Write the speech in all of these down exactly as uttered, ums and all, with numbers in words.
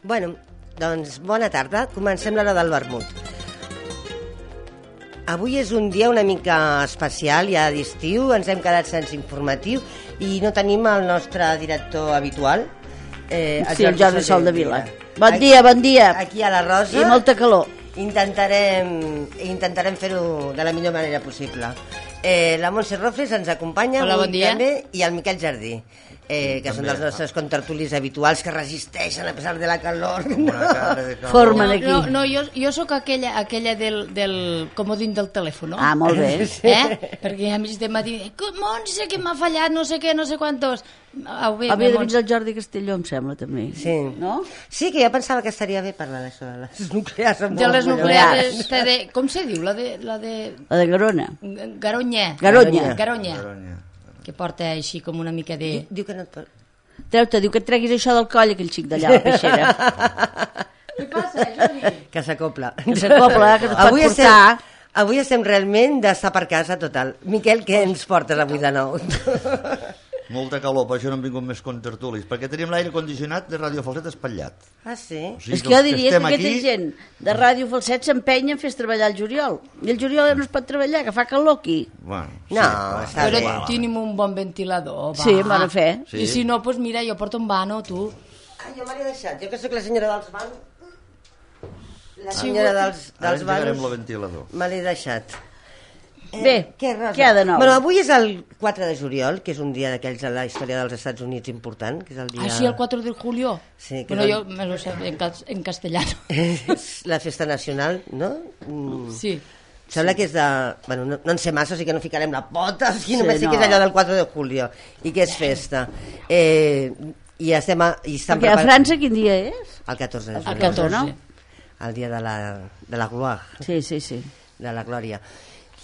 Bueno, doncs bona tarda. Comencem l'hora del vermut. Avui és un dia una mica especial, ja d'estiu, ens hem quedat sense informatiu i no tenim el nostre director habitual. Eh, el sí, el Jordi Soldevila. Bon aquí, dia, bon dia. Aquí a la Rosa. I molta calor. Intentarem, intentarem fer-ho de la millor manera possible. Eh, la Montse Rofles ens acompanya. Hola, bon dia. També, i el Miquel Jardí. Eh, que també, són dels nostres contertulis habituals que resisteixen a pesar de la calor. No. Formen aquí. No, no, jo, jo sóc aquella, aquella del, del comodín del telèfon. Ah, molt bé. Eh? Perquè a mig de matí, Montse, que m'ha fallat, no sé què, no sé quantos. Ah, bé, Havia de venir el Jordi Castelló, em sembla, també. Sí. No? Sí, que jo pensava que estaria bé parlar d'això, de les nuclears. De les nuclears. De, com se diu? La de... La de, la de Garona. Garonya. Garonya. Garonya. Garonya. Que porta així com una mica de... Diu que no et pot... Treu-te, diu que et treguis això del coll, aquell xic d'allà, la peixera. Què passa, Jordi? Que s'acopla. Que s'acopla, que no et pot avui portar... Estem, avui estem realment d'estar per casa total. Miquel, què ens portes avui de nou? Molta calor, per això no han vingut més contertulis, perquè tenim l'aire condicionat de Ràdio Falset espatllat. Ah, sí? O sigui, és que jo diria que, que aquesta aquí... gent de Ràdio Falset s'empenya en fer treballar el juliol. I el juliol no es pot treballar, que fa calor aquí. Bueno, no, sí, està però bé. tenim un bon ventilador, va. Sí, bona fe. Sí. I si no, doncs mira, jo porto un vano, tu. Ah, jo me l'he deixat, jo que sóc la senyora dels vanos. La senyora dels, dels vanos me l'he deixat. Eh, Bé, què, què ha de nou? Bueno, avui és el quatre de juliol, que és un dia d'aquells a la història dels Estats Units important, que és el dia... Ah, sí, el quatre de julio? Sí. Bueno, el... jo me lo sé en, en castellano. És la festa nacional, no? Mm. Sí. Sembla sí. que és de... Bueno, no, no en sé massa, o sigui que no ficarem la pota, o sigui, sí, només no. sé que és allò del quatre de julio, i que és festa. Eh, I estem... A, i estem Perquè a França quin dia és? El catorze de juliol. El catorze, no? El dia de la, de la gloire. Sí, sí, sí. De la glòria.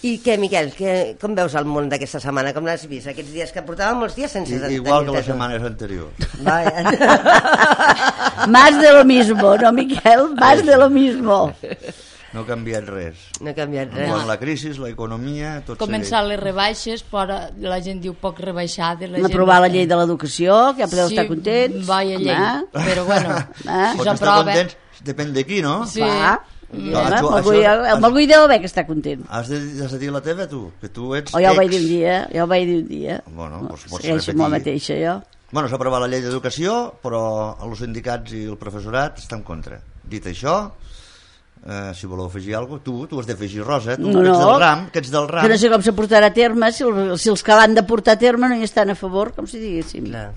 I què, Miquel, que, com veus el món d'aquesta setmana? Com l'has vist? Aquests dies que portàvem molts dies sense... I, igual que les setmanes anteriors. Más de lo mismo, no, Miquel? Más de lo mismo. No ha canviat res. No ha canviat res. No. La crisi, l'economia... Començar les rebaixes, però la gent diu poc rebaixada. No aprovar la llei de l'educació, que ja podeu sí, estar contents. Vaya llei, ah? Però bueno, ah? si s'aprova... contents, depèn de qui, no? Sí. Va. No, ja, tu, això, el Malgui deu haver que està content. Has de, has de dir la teva, tu, que tu ets o ja ho ex... vaig dir un dia, ja ho vaig dir un dia. Bueno, doncs pots segueixo repetir. amb la mateixa, jo. Bueno, s'ha aprovat la llei d'educació, però els sindicats i el professorat estan en contra. Dit això, eh, si voleu afegir alguna cosa, tu, tu has d'afegir, Rosa, tu no, que ets no, del RAM, que ets del RAM. Que no sé com se portarà a terme, si, el, si els que l'han de portar a terme no hi estan a favor, com si diguéssim. Clar.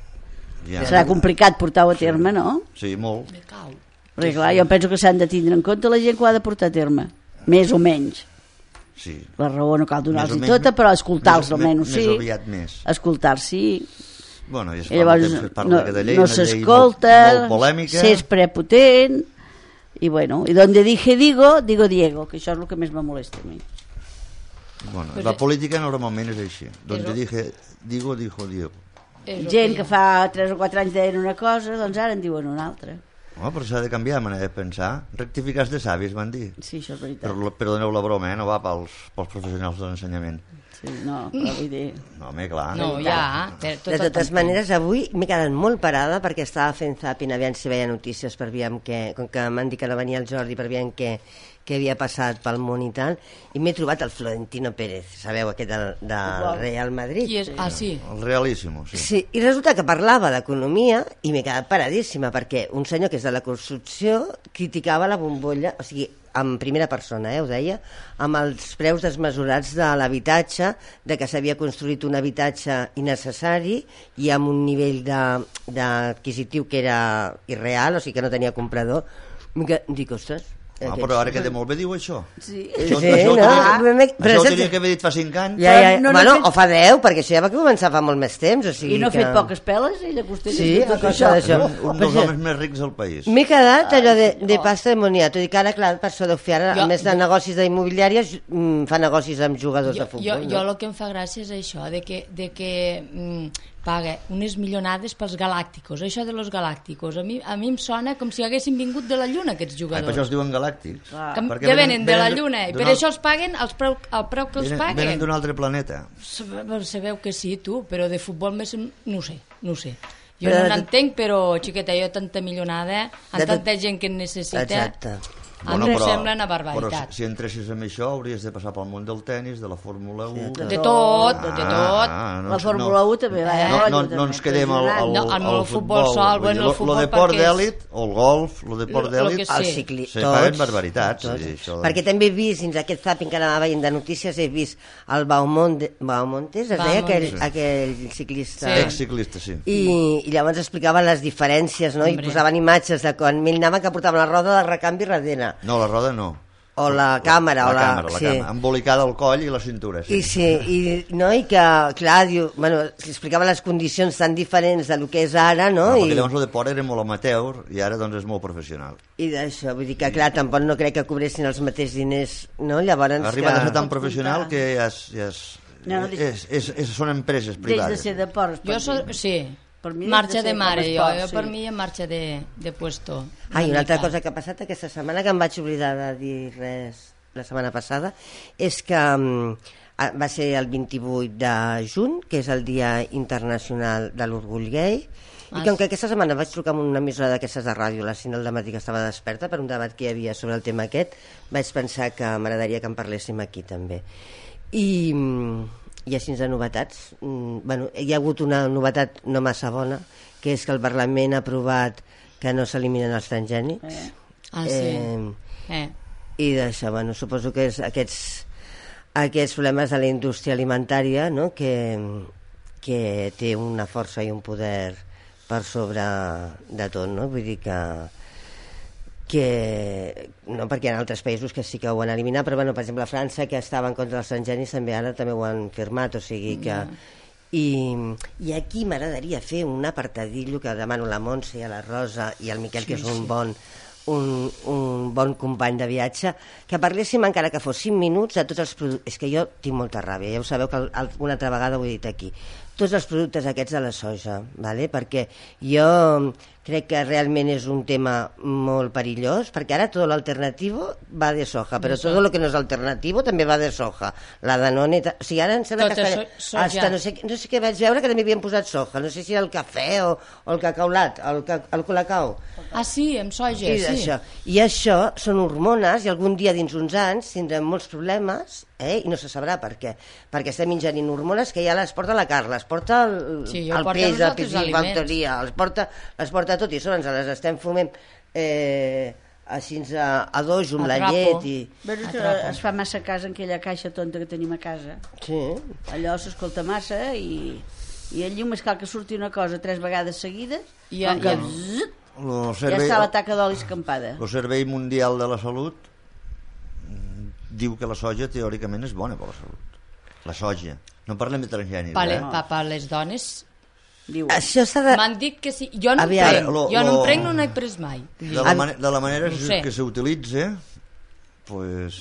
Ja. Serà complicat portar-ho a terme, sí. no? Sí, molt. Me cau. Perquè clar, jo penso que s'han de tindre en compte la gent que ho ha de portar a terme, més o menys. Sí. La raó no cal donar-los tota, però escoltar-los almenys sí. Més aviat més. Escoltar-los sí. Bueno, i es I llavors es parla no, de llei, no s'escolta, molt, molt polèmica. s'és prepotent, i bueno, i donde dije digo, digo Diego, que això és el que més me molesta a mi. Bueno, pues la és... política normalment és així. Donde dije digo, dijo Diego. Gent que fa tres o quatre anys deien una cosa, doncs ara en diuen una altra. No, però s'ha de canviar la manera de pensar. Rectificar de savis, van dir. Sí, això és veritat. Però, perdoneu la broma, eh? No va pels, pels professionals de l'ensenyament. Sí, no, però vull dir... No, home, clar. No, ja. De totes maneres, avui m'he quedat molt parada perquè estava fent zapping, aviam si veia notícies per aviam que... Com que m'han dit que no venia el Jordi, per aviam que... que havia passat pel món i tal, i m'he trobat el Florentino Pérez, sabeu, aquest del, del Real Madrid. Qui és? Ah, sí. El Realíssimo, sí. Sí, i resulta que parlava d'economia i m'he quedat paradíssima, perquè un senyor que és de la construcció criticava la bombolla, o sigui, en primera persona, eh, ho deia, amb els preus desmesurats de l'habitatge, de que s'havia construït un habitatge innecessari i amb un nivell d'adquisitiu que era irreal, o sigui que no tenia comprador. Dic, ostres, Ah, però ara queda molt bé, diu això. Sí, això, sí això, no? Tenia, això ho tenia que haver dit fa cinc anys. Ja, ja, no, no, bueno, fet... o fa deu, perquè això ja va començar fa molt més temps. O sigui I no ha que... fet poques peles, ella costella. Sí, tot això. això. això. Un, un dels homes més rics del país. M'he quedat allò de, de pasta de moniato, i que ara, clar, per això deu fer ara, a més de negocis d'immobiliàries, fa negocis amb jugadors jo, de futbol. Jo, jo el que em fa gràcia és això, de que, de que mm, paga unes milionades pels galàcticos. Això de los galàcticos, a mi, a mi em sona com si haguessin vingut de la Lluna, aquests jugadors. Ai, per això els diuen galàctics. Ah. Que, que venen, venen de la Lluna, i per alt... això els paguen els preu, el preu que els venen, paguen. Venen d'un altre planeta. Sabeu que sí, tu, però de futbol més no ho sé, no ho sé. Jo no n'entenc, però, xiqueta, jo tanta milionada, amb tanta gent que en necessita... Exacte. A mi em sembla una barbaritat. Però si, si entressis en això hauries de passar pel món del tennis, de la Fórmula u... De tot, de tot. Ah, no, la Fórmula u també va. No, no, no ens quedem al, al, no, al, al futbol sol, bueno, el futbol lo deport perquè és... d'èlit, o el golf, lo deport d'èlit... El cicli... Se paguen barbaritats. Sí, això... Perquè també he vist, dins aquest zapping que anava veient de notícies, he vist el Baumonte, Baumontes, es deia aquell, sí. aquell ciclista. Sí. Ex-ciclista, sí. I, I llavors explicava les diferències, no? I posaven imatges de quan ell anava que portava la roda de recanvi darrere. No, la roda no. O la càmera. La, o la, la càmera, la sí. càmera, embolicada al coll i la cintura. Sí, I, sí, i, no? I que, clar, diu, bueno, explicava les condicions tan diferents de lo que és ara, no? no I, perquè llavors el deport era molt amateur i ara doncs és molt professional. I d'això, vull dir que, clar, tampoc no crec que cobressin els mateixos diners, no? Llavors... Arriba que... a ser tan professional que ja és... Ja és, no, no, és, és, és, són empreses privades. Deix de ser deport. Jo so, sí, per mi marxa de, de mare, jo, esport, jo sí. per mi en marxa de, de puesto. Ah, i una altra cosa que ha passat aquesta setmana, que em vaig oblidar de dir res la setmana passada, és que um, va ser el vint-i-vuit de juny, que és el Dia Internacional de l'Orgull Gai, i com que aquesta setmana vaig trucar amb una emissora d'aquestes de ràdio a les cinc del matí, que estava desperta per un debat que hi havia sobre el tema aquest, vaig pensar que m'agradaria que en parléssim aquí també. I, i així de novetats, bueno, hi ha hagut una novetat no massa bona, que és que el Parlament ha aprovat que no s'eliminen els transgènics. Eh. Ah, sí. Eh, eh. I d'això, bueno, suposo que és aquests, aquests problemes de la indústria alimentària, no? que, que té una força i un poder per sobre de tot, no? Vull dir que, que no, perquè hi ha altres països que sí que ho han eliminat, però bueno, per exemple a França, que estava en contra dels transgènics, també ara també ho han firmat, o sigui que... I, i aquí m'agradaria fer un apartadillo que demano a la Montse i a la Rosa i al Miquel, sí, que és un sí. bon un, un bon company de viatge, que parléssim encara que fos cinc minuts de tots els productes. És que jo tinc molta ràbia, ja ho sabeu que una altra vegada ho he dit aquí, tots els productes aquests de la soja, ¿vale? Perquè jo crec que realment és un tema molt perillós, perquè ara tot l'alternativo va de soja, però tot el que no és alternativo també va de soja. La Danone... O sigui, ara em sembla que hasta, so, hasta no, sé, no sé què vaig veure que també havien posat soja, no sé si era el cafè o, o el cacaulat, el, el colacao. Ah, sí, amb soja, I sí. Això. I això són hormones i algun dia dins uns anys tindrem molts problemes, eh? I no se sabrà per què. Perquè estem ingerint hormones que ja les porta la Carla, les porta el, sí, el peix, el peix factoria, les porta, les porta tot i sobre ens les estem fumant eh, així a, a dojo amb la llet i... Veus que es fa massa casa en aquella caixa tonta que tenim a casa. Sí. Allò s'escolta massa i, i allí només cal que surti una cosa tres vegades seguides i ja, ja, zzz, servei, ja està la taca d'oli escampada. El Servei Mundial de la Salut diu que la soja teòricament és bona per la salut. La soja. No parlem de transgènics, vale, eh? Pa, per les dones... Diu. Això s'ha de... M'han dit que sí. Jo no Aviam, em prenc, lo, jo no lo... em prenc, no n'he pres mai. De la, man de la manera no sé. que s'utilitza, pues...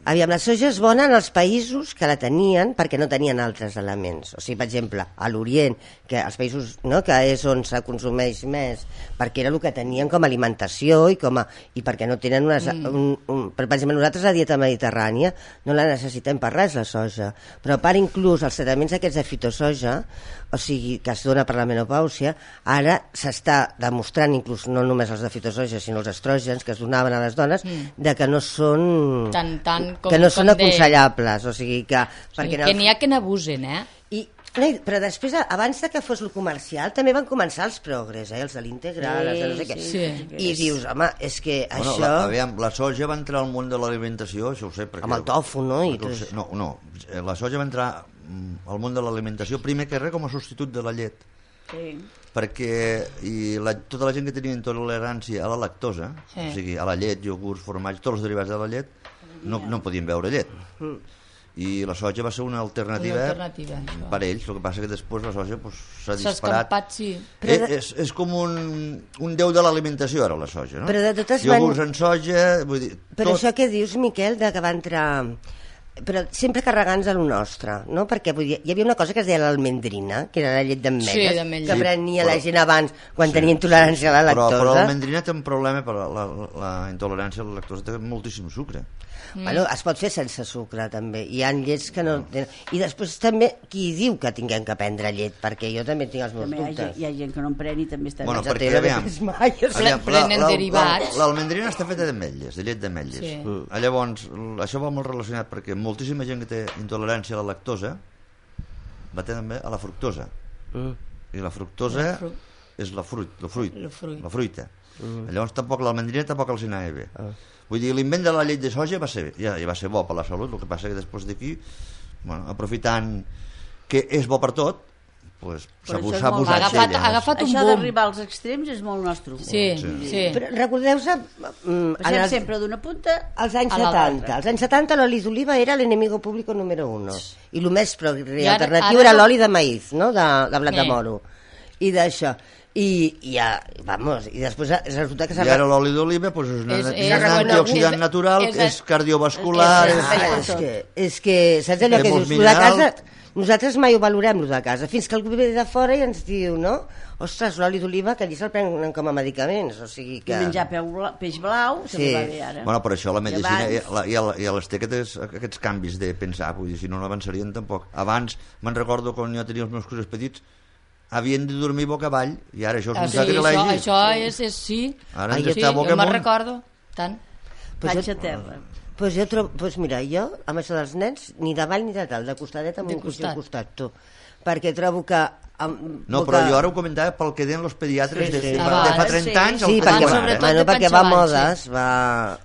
Aviam, la soja és bona en els països que la tenien perquè no tenien altres elements. O sigui, per exemple, a l'Orient, que els països, no, que és on se consumeix més, perquè era el que tenien com a alimentació i, com a, i perquè no tenen unes... Mm. Un, un, per, per exemple, nosaltres la dieta mediterrània no la necessitem per res, la soja. Però a part, inclús els tractaments aquests de fitosoja, o sigui, que es dona per la menopàusia, ara s'està demostrant, inclús no només els de fitosoja, sinó els estrògens que es donaven a les dones, mm. de que no són... Tan, tan com, que no com són aconsellables, de... o sigui que... Sí, que n'hi ha que n'abusen, eh? I, no, però després, abans de que fos el comercial, també van començar els progres, eh? Els de l'integral, sí, els de no sé què. Sí, sí. I dius, home, és que bueno, això... La, aviam, la soja va entrar al món de l'alimentació, això ho sé, perquè... Amb el tofu, no? I tot... No, no, la soja va entrar al món de l'alimentació, primer que res, com a substitut de la llet. Sí. Perquè i la, tota la gent que tenia intolerància a la lactosa, sí. O sigui, a la llet, iogurts, formatge, tots els derivats de la llet, no, no podien beure llet. Mm. I la soja va ser una alternativa, una alternativa per ells. El que passa que després la soja pues, s'ha disparat. Escampat, sí. Eh, de... és, és com un, un déu de l'alimentació ara la soja, no? Però de totes iogurts man... en soja, vull dir... Però tot... això que dius, Miquel, de que va entrar... Però sempre carregants a lo nostre, no? Perquè vull dir, hi havia una cosa que es deia l'almendrina, que era la llet d'ametlles, sí, que prenia sí, però... la gent abans quan sí, tenia intolerància a la lactosa. Però, però l'almendrina té un problema, per la, la, la intolerància a la lactosa té moltíssim sucre. Mm. Bueno, es pot fer sense sucre, també. Hi ha llets que no... Tenen... I després també, qui diu que tinguem que prendre llet? Perquè jo també tinc els meus també dubtes. Hi ha, hi ha gent que no en pren i també està... Bueno, bé. perquè, aviam, aviam prenen derivats. L'almendrina està feta d'ametlles, de llet d'ametlles. Sí. Mm. Llavors, això va molt relacionat perquè moltíssima gent que té intolerància a la lactosa va també a la fructosa. Mm. I la fructosa la fru... és la fruit, la fruit, la, fruit. la fruita. Mm. Llavors tampoc l'almendrina tampoc els anava bé. Ah. Vull dir, l'invent de la llet de soja va ser, ja, ja va ser bo per la salut, el que passa que després d'aquí, bueno, aprofitant que és bo per tot, pues, s'ha abusat, molt... ha agafat, ha agafat un això boom. D'arribar als extrems és molt nostre. Sí, sí. sí. Però recordeu-se... Mm, els... sempre d'una punta als anys setanta. Als anys setanta l'oli d'oliva era l'enemigo público número uno. I el més progre alternatiu ara... era l'oli de maïz, no? de, de blat de moro. I d'això. I, i, ja, vamos, i després resulta que... I ara l'oli d'oliva pues, és, una, és, és, és un antioxidant natural, és, és cardiovascular... És, és, és, és, que, és que, saps allò que dius, tu de casa... Nosaltres mai ho valorem, lo de casa, fins que algú ve de fora i ens diu, no? Ostres, l'oli d'oliva, que allí se'l prenen com a medicaments, o sigui que... I menjar peix blau, se sí. li va bé ara. Bueno, per això la medicina i, la, i, la, i les té aquests, aquests canvis de pensar, vull dir, si no, no avançarien tampoc. Abans, me'n recordo quan jo tenia els meus cossos petits, havien de dormir boca avall, i ara això és un sí, sacrilegi. Això, això és, és, sí. Ara sí, està boca jo me'n recordo, tant. Vaig a terra. Pues jo trobo, pues mira, jo, amb això dels nens, ni davall ni de tal, de costadet amb un cosí al costat, tu. Perquè trobo que... Amb, no, però jo ara ho comentava pel que deien els pediatres sí, sí. de, de, Abans, de fa trenta sí. anys. Sí, perquè, va, bueno, perquè va a modes, sí. va...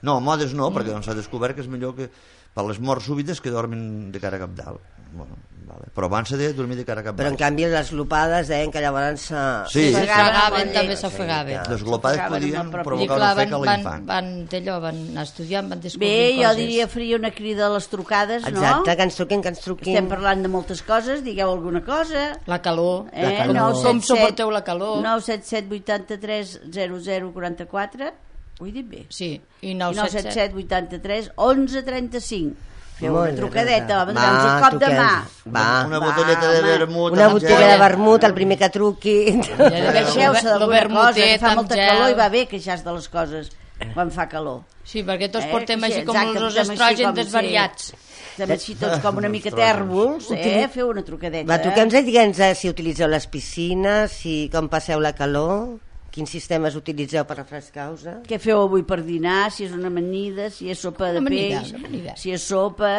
No, modes no, perquè doncs s'ha descobert que és millor que per les morts súbites que dormin de cara cap dalt. Bueno, vale. Però abans s'ha de dormir de cara cap dalt. Però en canvi les glopades deien que llavors se... Sí, s'ofegaven, també s'ofegaven. Les glopades podien provocar una ofec a l'infant. Van, d'allò, van estudiar, van descobrir Bé, coses. Jo diria faria una crida a les trucades, no? Exacte, que ens truquin, que ens truquin. Estem parlant de moltes coses, digueu alguna cosa. La calor. Eh? La calor. nou set set, com suporteu la calor? nou set set vuitanta-tres zero zero quaranta-quatre. Ho he dit bé? Sí. I nou set set vuitanta-tres onze trenta-cinc. Feu Molt una trucadeta, va, va, un cop de mà. Va. Una botelleta de vermut. Una botella de vermut, el primer que truqui. Queixeu-se d'alguna cosa, que fa molta calor i va bé queixar de les coses quan fa calor. Sí, perquè tots portem així com els estrògens desvariats. Estem així tots com una mica tèrbols, eh? Feu una trucadeta. Va, truquem-nos i digue'ns si utilitzeu les piscines, si com passeu la calor... Quins sistemes utilitzeu per refrescar-vos? Què feu avui per dinar? Si és una amanida, si és sopa de amanida, peix, si és sopa...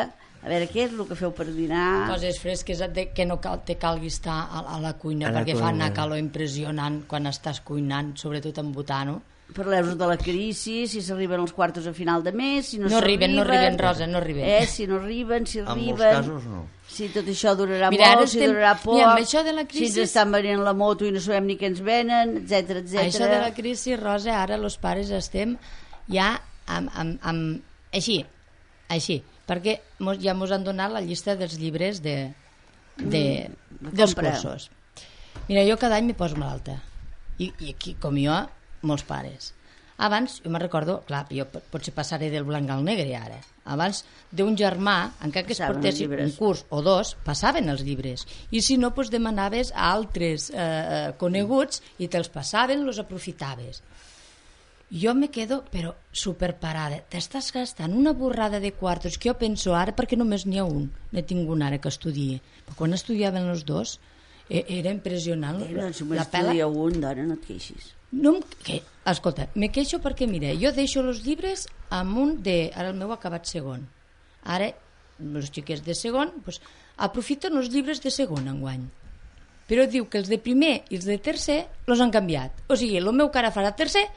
A veure, què és el que feu per dinar? Coses fresques, que no cal, te calgui estar a, a la cuina, a la perquè cuina. Fa una calor impressionant quan estàs cuinant, sobretot amb butano. Parleu-vos de la crisi, si s'arriben els quartos a final de mes, si no, no arriben. No arriben, Rosa, no arriben. Eh, si no arriben, si arriben... En molts casos no. Si tot això durarà Mira, molt, si estem... durarà poc, Mira, això de la crisi... si ens estan venent la moto i no sabem ni què ens venen, etcètera, etcètera. Això de la crisi, Rosa, ara els pares estem ja amb... amb, amb... Així, així, perquè mos, ja ens han donat la llista dels llibres de, de, mm, dels cursos. Mira, jo cada any me poso malalta. I, i aquí, com jo, molts pares. Abans, jo me'n recordo, clar, jo potser passaré del blanc al negre ara. Abans d'un germà, encara que es portessin un curs o dos, passaven els llibres. I si no, doncs demanaves a altres eh, coneguts i te'ls passaven, els aprofitaves. Jo me quedo, però superparada. T'estàs gastant una borrada de quartos que jo penso ara, perquè només n'hi ha un. N'he tingut un ara que estudia. Però quan estudiaven els dos, era impressionant. Eh, doncs només estudia un, dona, no et queixis. No em, que, escolta, me queixo perquè, mira, jo deixo els llibres amb un de... Ara el meu ha acabat segon. Ara, els xiquets de segon, doncs, aprofiten els llibres de segon enguany. Però diu que els de primer i els de tercer els han canviat. O sigui, el meu que ara farà tercer,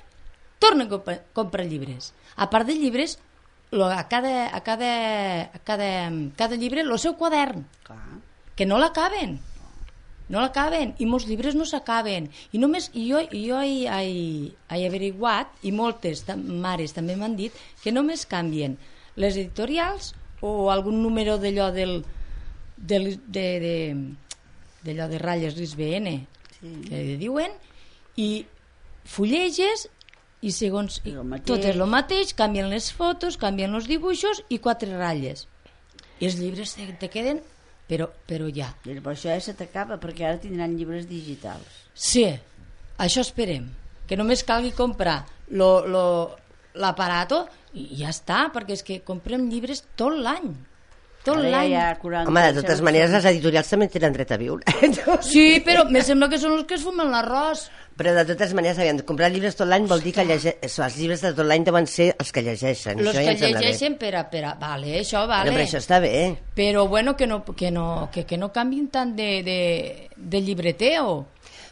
torna a comprar, comprar llibres. A part de llibres, lo, a, cada, a, cada, a cada, cada llibre el seu quadern. Clar. Que no l'acaben. No l'acaben, i molts llibres no s'acaben. I només i jo, i jo he, he, he averiguat, i moltes mares també m'han dit, que només canvien les editorials o algun número d'allò del, del, de, de, d'allò de ratlles R I S B N, sí. Que diuen, i fulleges, i segons i tot és el mateix, canvien les fotos, canvien els dibuixos i quatre ratlles. I els llibres te, te queden... Però, però ja. Però això ja se t'acaba, perquè ara tindran llibres digitals. Sí, això esperem. Que només calgui comprar lo, lo, l'aparato i ja està, perquè és que comprem llibres tot l'any. Tot l'any. Home, de totes maneres, les editorials també tenen dret a viure. Sí, però me sembla que són els que es fumen l'arròs. Però de totes maneres, aviam, comprar llibres tot l'any vol dir que llegeix... els llibres de tot l'any deuen ser els que llegeixen. Els que llegeixen per a, per a... Vale, això vale. Però això està bé. Però bueno, que no, que no, que, que no canvin tant de, de, de llibreteo.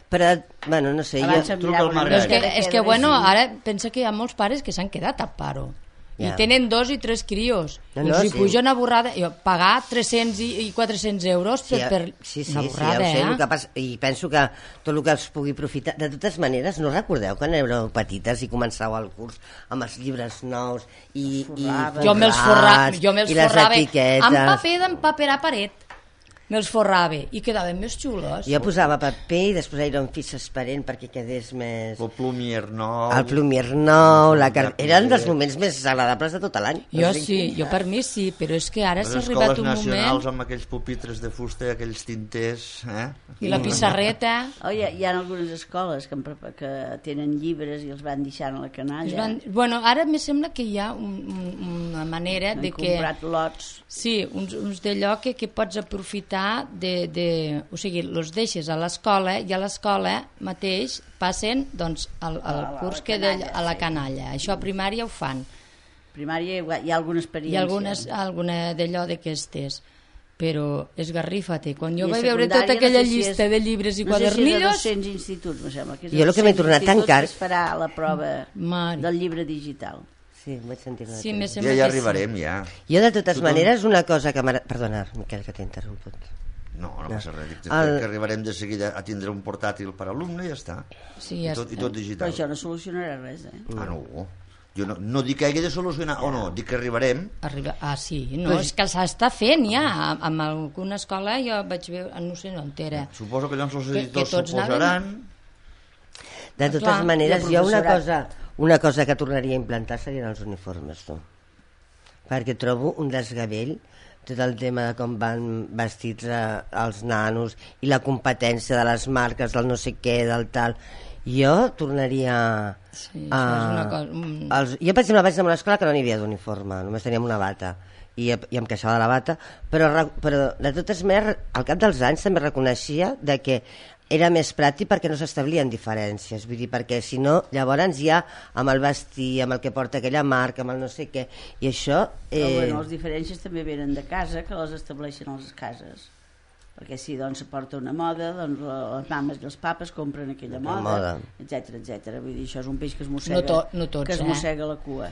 Però, bueno, no sé, abans jo... Truca al és que, és que bueno, ara pensa que hi ha molts pares que s'han quedat a paro. I yeah. tenen dos i tres crios. No, I no, si sí. puja una borrada... Jo, pagar tres-cents i quatre-cents euros per, sí, per sí, sí, una borrada, sí, ja ho sé, eh? el que passa, i penso que tot el que es pugui aprofitar... De totes maneres, no recordeu quan éreu petites i començàveu el curs amb els llibres nous i, i forrats, jo me'ls forrava, jo me'ls i les forrava etiquetes... amb paper d'empaperar paret. Me'ls forrava i quedaven més xulos. Jo posava paper i després era un fix esperent perquè quedés més... El plumier nou... El plumier nou, la car... eren dels moments més agradables de tot l'any. Jo o sigui... sí, jo per mi sí, però és que ara s'ha arribat un moment... Les escoles nacionals amb aquells pupitres de fusta, aquells tinters... Eh? I la pissarreta... Oh, hi, ha, hi ha algunes escoles que, que tenen llibres i els van deixant a la canalla. Van... Bueno, ara me sembla que hi ha un, un, una manera han de que... Han comprat lots. Sí, uns, uns d'allò que, que pots aprofitar de, de, o sigui, els deixes a l'escola i a l'escola mateix passen doncs, al, al curs que de, a la canalla. Això a primària ho fan. Primària hi ha alguna experiència. Hi ha algunes, alguna d'allò d'aquestes, però esgarrifa-te. Quan jo vaig veure tota aquella no sé si llista és, de llibres i no quadernillos... No sé si és de dos-cents instituts, me sembla. Que és jo el que m'he tornat tan car... es farà la prova Mari. del llibre digital. Sí, vaig sentir una sí, ja, ja arribarem, ja. Jo, de totes Tothom... maneres, una cosa que... Perdona, Miquel, que t'he interromput. No, no passa res. Dic, el... que arribarem de seguida a tindre un portàtil per alumne i ja està. Sí, ja I, tot, està. I tot digital. Però això no solucionarà res, eh? Ah, no. Jo no, no dic que hagi de solucionar o no, dic que arribarem. Arriba... Ah, sí. No, però... és que s'està fent ja. Amb alguna escola jo vaig veure... No sé on era. Suposo que llavors els editors s'ho posaran... De totes Clar, maneres, jo una cosa, una cosa que tornaria a implantar serien els uniformes, tu. Perquè trobo un desgavell tot el tema de com van vestits eh, els nanos i la competència de les marques, del no sé què, del tal. Jo tornaria sí, a... és una cosa... Mm. Els... Jo, per exemple, vaig anar a una escola que no n'hi havia d'uniforme, només teníem una bata. I, i em queixava de la bata, però, però de totes maneres, al cap dels anys també reconeixia de que era més pràctic perquè no s'establien diferències, vull dir, perquè si no, llavors ja amb el vestir, amb el que porta aquella marca, amb el no sé què, i això... Eh... Però bueno, les diferències també venen de casa, que les estableixen a les cases. Perquè si doncs se porta una moda, doncs les mames i els papes compren aquella moda, moda. etcètera, etcètera. Vull dir, això és un peix que es mossega, no to, no tots, que es mossega eh? la cua.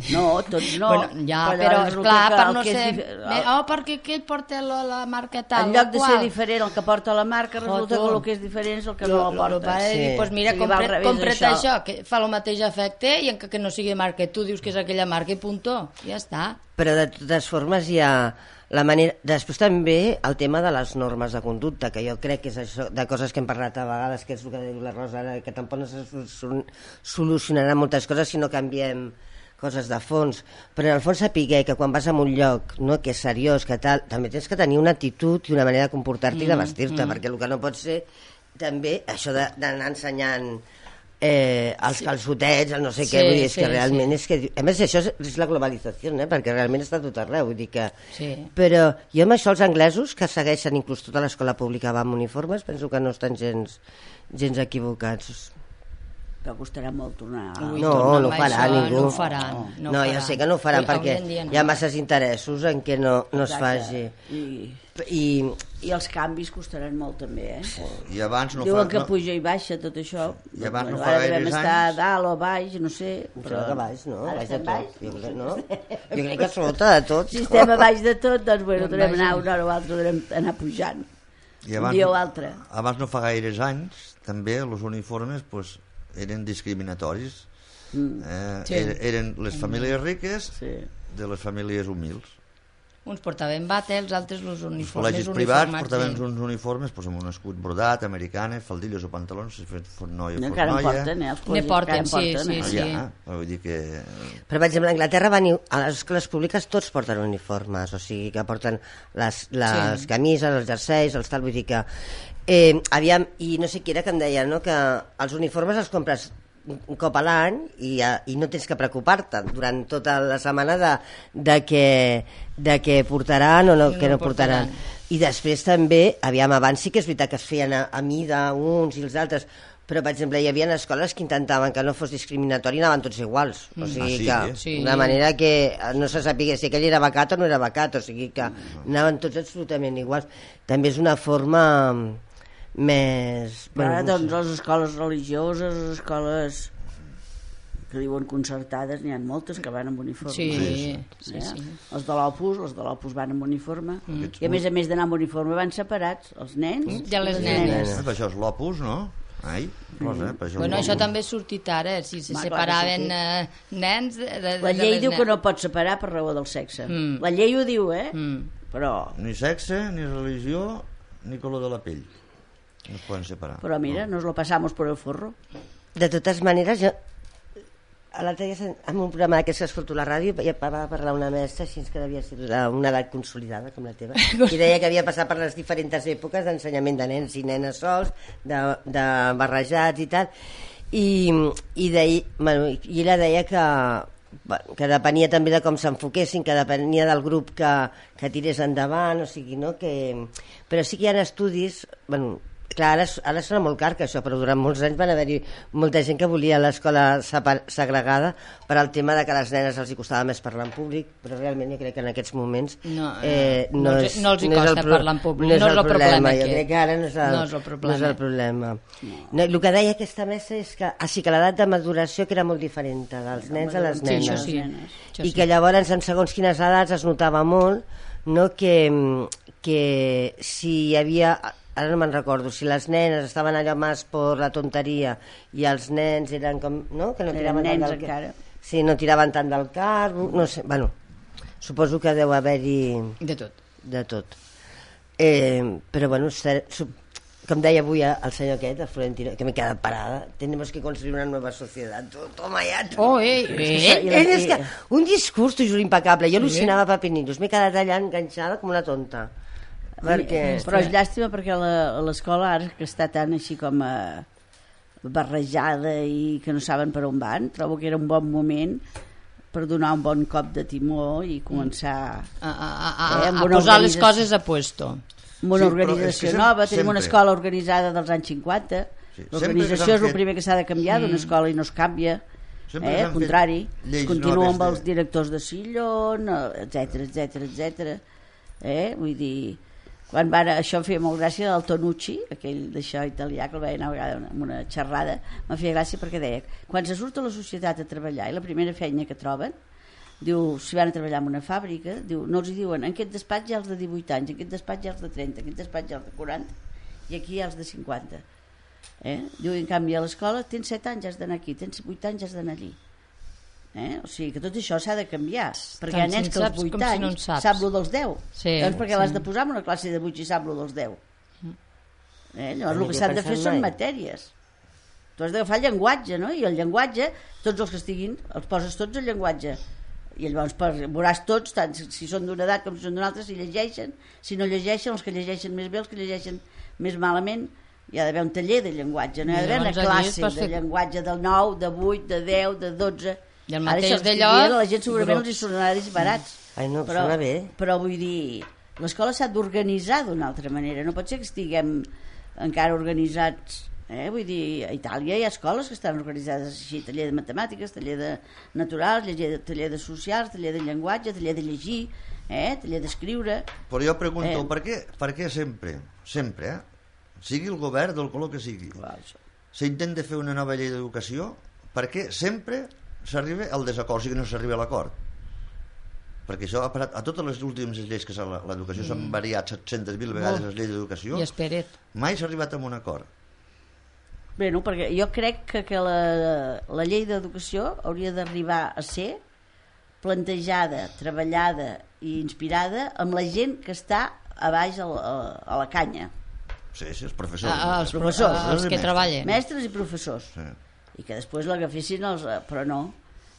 No, tots no. Bueno, ja, però, però esclar, per no ser... Dif... Oh, perquè aquell porta la, la marca tal. En lloc de ser diferent el que porta la marca, resulta que el que és diferent és el que lo, no la porta. Sí. Dir, pues mira, sí, compre, compra't això. això, que fa el mateix efecte i encara que no sigui marca, tu dius que és aquella marca i puntó, ja està. Però de totes formes hi ha... La manera... Després també el tema de les normes de conducta, que jo crec que és això, de coses que hem parlat a vegades, que és el que diu la Rosa, que tampoc no se solucionaran moltes coses si no canviem coses de fons, però en el fons sapiguer que quan vas a un lloc, no, que és seriós, que tal, també tens que tenir una actitud i una manera de comportar-te mm, i de vestir-te, mm. perquè el que no pot ser també això d'anar ensenyant eh, els sí. calçotets, el no sé sí, què, vull dir, és sí, que realment sí. és que... A més, això és, és la globalització, eh? Perquè realment està tot arreu, vull dir que... Sí. Però jo amb això els anglesos, que segueixen inclús tota l'escola pública va amb uniformes, penso que no estan gens, gens equivocats. Però costarà molt tornar... Ui, no, no ho farà això, ningú. No ho faran. No, no, no ja sé que no ho faran, perquè hi ha masses interessos en què no, no es faci. I, I, I els canvis costaran molt també, eh? Sí. I abans no Diuen fa, que no... puja i baixa tot això. I abans no fa fa gaires anys... Ara devem estar a dalt o baix, no sé. Però que baix, no? Ara baix de tot. baix? Jo crec, no? Jo crec que sota de tot. Si estem a baix de tot, doncs bueno, podrem anar una hora o altra, podrem anar pujant. I abans, un dia o altre. Abans no fa gaires anys, també, els uniformes, pues, eren discriminatoris. Mm. Eh, sí. er, eren les famílies riques sí. de les famílies humils. Uns portaven bata, els altres els uniformes. Els col·legis privats portaven sí. uns uniformes pues, amb un escut brodat, americanes, faldilles o pantalons, si fos noia o fos encara noia. Porten, eh? Els ne porten, sí, porten, sí, eh? sí. Ja, vull dir que... Però, per exemple, a Anglaterra van, a les escoles públiques tots porten uniformes, o sigui que porten les, les sí. camises, els jerseis, els tal, vull dir que... Eh, aviam, i no sé qui era que em deia, no?, que els uniformes els compres un cop a l'any i, i no tens que preocupar-te durant tota la setmana de, de, que, de que portaran o no, que no portaran. I després també, aviam, abans sí que és veritat que es feien a, a mida uns i els altres, però, per exemple, hi havia escoles que intentaven que no fos discriminatori i anaven tots iguals. O sigui ah, sí, que, sí. de manera que no se sapia si aquell era becat o no era becat, o sigui que anaven tots absolutament iguals. També és una forma més... Però ara, bueno, no doncs, les escoles religioses, les escoles que diuen concertades, n'hi ha moltes que van amb uniforme. Sí, sí, sí, eh? sí. Els de l'Opus, els de l'Opus van amb uniforme, mm. i a més a més d'anar amb uniforme van separats, els nens mm. i les nenes. nenes. Ah, per això és l'Opus, no? Ai, Rosa, eh? Per això Bueno, això també ha sortit ara, si se Va, separaven clar, eh, nens... De, de, La llei de diu nen... que no pot separar per raó del sexe. Mm. La llei ho diu, eh? Mm. Però... Ni sexe, ni religió, ni color de la pell. No es poden separar. Però mira, nos lo pasamos por el forro. De totes maneres, jo l'altre dia en un programa d'aquests que escolto a la ràdio ja va parlar una mestra així que devia ser una edat consolidada com la teva i deia que havia passat per les diferents èpoques d'ensenyament de nens i nenes sols de, de barrejats i tal i, i, deia, bueno, i ella deia que que depenia també de com s'enfoquessin, que depenia del grup que, que tirés endavant, o sigui, no? Que... Però sí que hi ha estudis, bueno, clar, ara, ara sona molt car que això, però durant molts anys van haver-hi molta gent que volia l'escola segregada per al tema de que a les nenes els hi costava més parlar en públic, però realment jo crec que en aquests moments no, eh, no, no, és, no els hi no costa pro, parlar en públic, no és, no és el el problema, problema, jo aquest. crec que ara no és el, no és el problema, no és el problema. No. No, el que deia aquesta mestra és que, ah, sí, que l'edat de maduració que era molt diferent dels nens a les sí, nenes, això sí, això i sí. que llavors en segons quines edats es notava molt, no, que, que si hi havia... Ara no me'n recordo, si les nenes estaven allò més per la tonteria i els nens eren com... No? Que no tiraven eren nens tant del... encara. Sí, no tiraven tant del carro, no sé, bueno, suposo que deu haver-hi... De tot. De tot. Eh, però bueno, com deia avui el senyor aquest, el Florentino, que m'he quedat parada, tenemos que construir una nueva societat. Toma ja. Oh, eh, eh. Ell, ell és que, un discurs, t'ho juro, impecable. Jo al·lucinava papinitos, m'he quedat allà enganxada com una tonta. Perquè... Però és llàstima perquè l'escola ara que està tan així com a barrejada i que no saben per on van, trobo que era un bon moment per donar un bon cop de timó i començar a, a, a, eh, a posar les coses a puesto. Amb una sí, organització sempre, nova, tenim sempre. una escola organitzada dels anys cinquanta, sí, l'organització és el fet... primer que s'ha de canviar mm. d'una escola i no es canvia, eh, al contrari, es continua amb els directors de sillon, etc etc etc. Eh, vull dir... Quan van, això em feia molt gràcia del Tonucci, aquell d'això italià, que el veia una vegada en una xerrada, em feia gràcia perquè deia, quan se surt a la societat a treballar i la primera feina que troben, diu, si van a treballar en una fàbrica, diu, no els hi diuen, en aquest despatx hi ha els de divuit anys, en aquest despatx hi ha els de trenta, en aquest despatx hi ha els de quaranta, i aquí hi ha els de cinquanta. Eh? Diu, en canvi, a l'escola tens set anys, has d'anar aquí, tens vuit anys, has d'anar allí. Eh? O sigui que tot això s'ha de canviar, perquè hi ha nens que als vuit anys si no sap lo dels deu, sí, doncs perquè sí. L'has de posar en una classe de vuit si sap lo dels deu. Eh? Llavors el que s'han de fer són matèries, tu has d'agafar el llenguatge, no? I el llenguatge, tots els que estiguin els poses tots el llenguatge i llavors veuràs tots, tant si són d'una edat com si són d'una altra, si llegeixen, si no llegeixen, els que llegeixen més bé, els que llegeixen més malament. Hi ha d'haver un taller de llenguatge, no hi ha d'haver una classe de llenguatge del nou, de vuit, de deu, de dotze. I el mateix d'allò... Ara la gent segurament els hi sonarà disbarats. Ai, no, però, sona bé. Però vull dir, l'escola s'ha d'organitzar d'una altra manera. No pot ser que estiguem encara organitzats... Eh? Vull dir, a Itàlia hi ha escoles que estan organitzades així, taller de matemàtiques, taller de naturals, taller de, taller de socials, taller de llenguatge, taller de llegir, eh? Taller d'escriure... Però jo pregunto, eh? per, què, per què sempre, sempre, eh? sigui el govern del color que sigui, s'intenta fer una nova llei d'educació, per què sempre... s'arriba al desacord, o sigui que no s'arriba a l'acord, perquè això ha passat a totes les últimes lleis que l'educació mm. s'han variat set-centes mil vegades les lleis d'educació, i espera't, mai s'ha arribat a un acord. Bé, no, perquè jo crec que, que la, la llei d'educació hauria d'arribar a ser plantejada, treballada i inspirada amb la gent que està a baix a la, a la canya. Sí, sí, els professors. Ah, els professors, els que treballen. Mestres i professors. Sí. I que després l'agafessin els... Però no.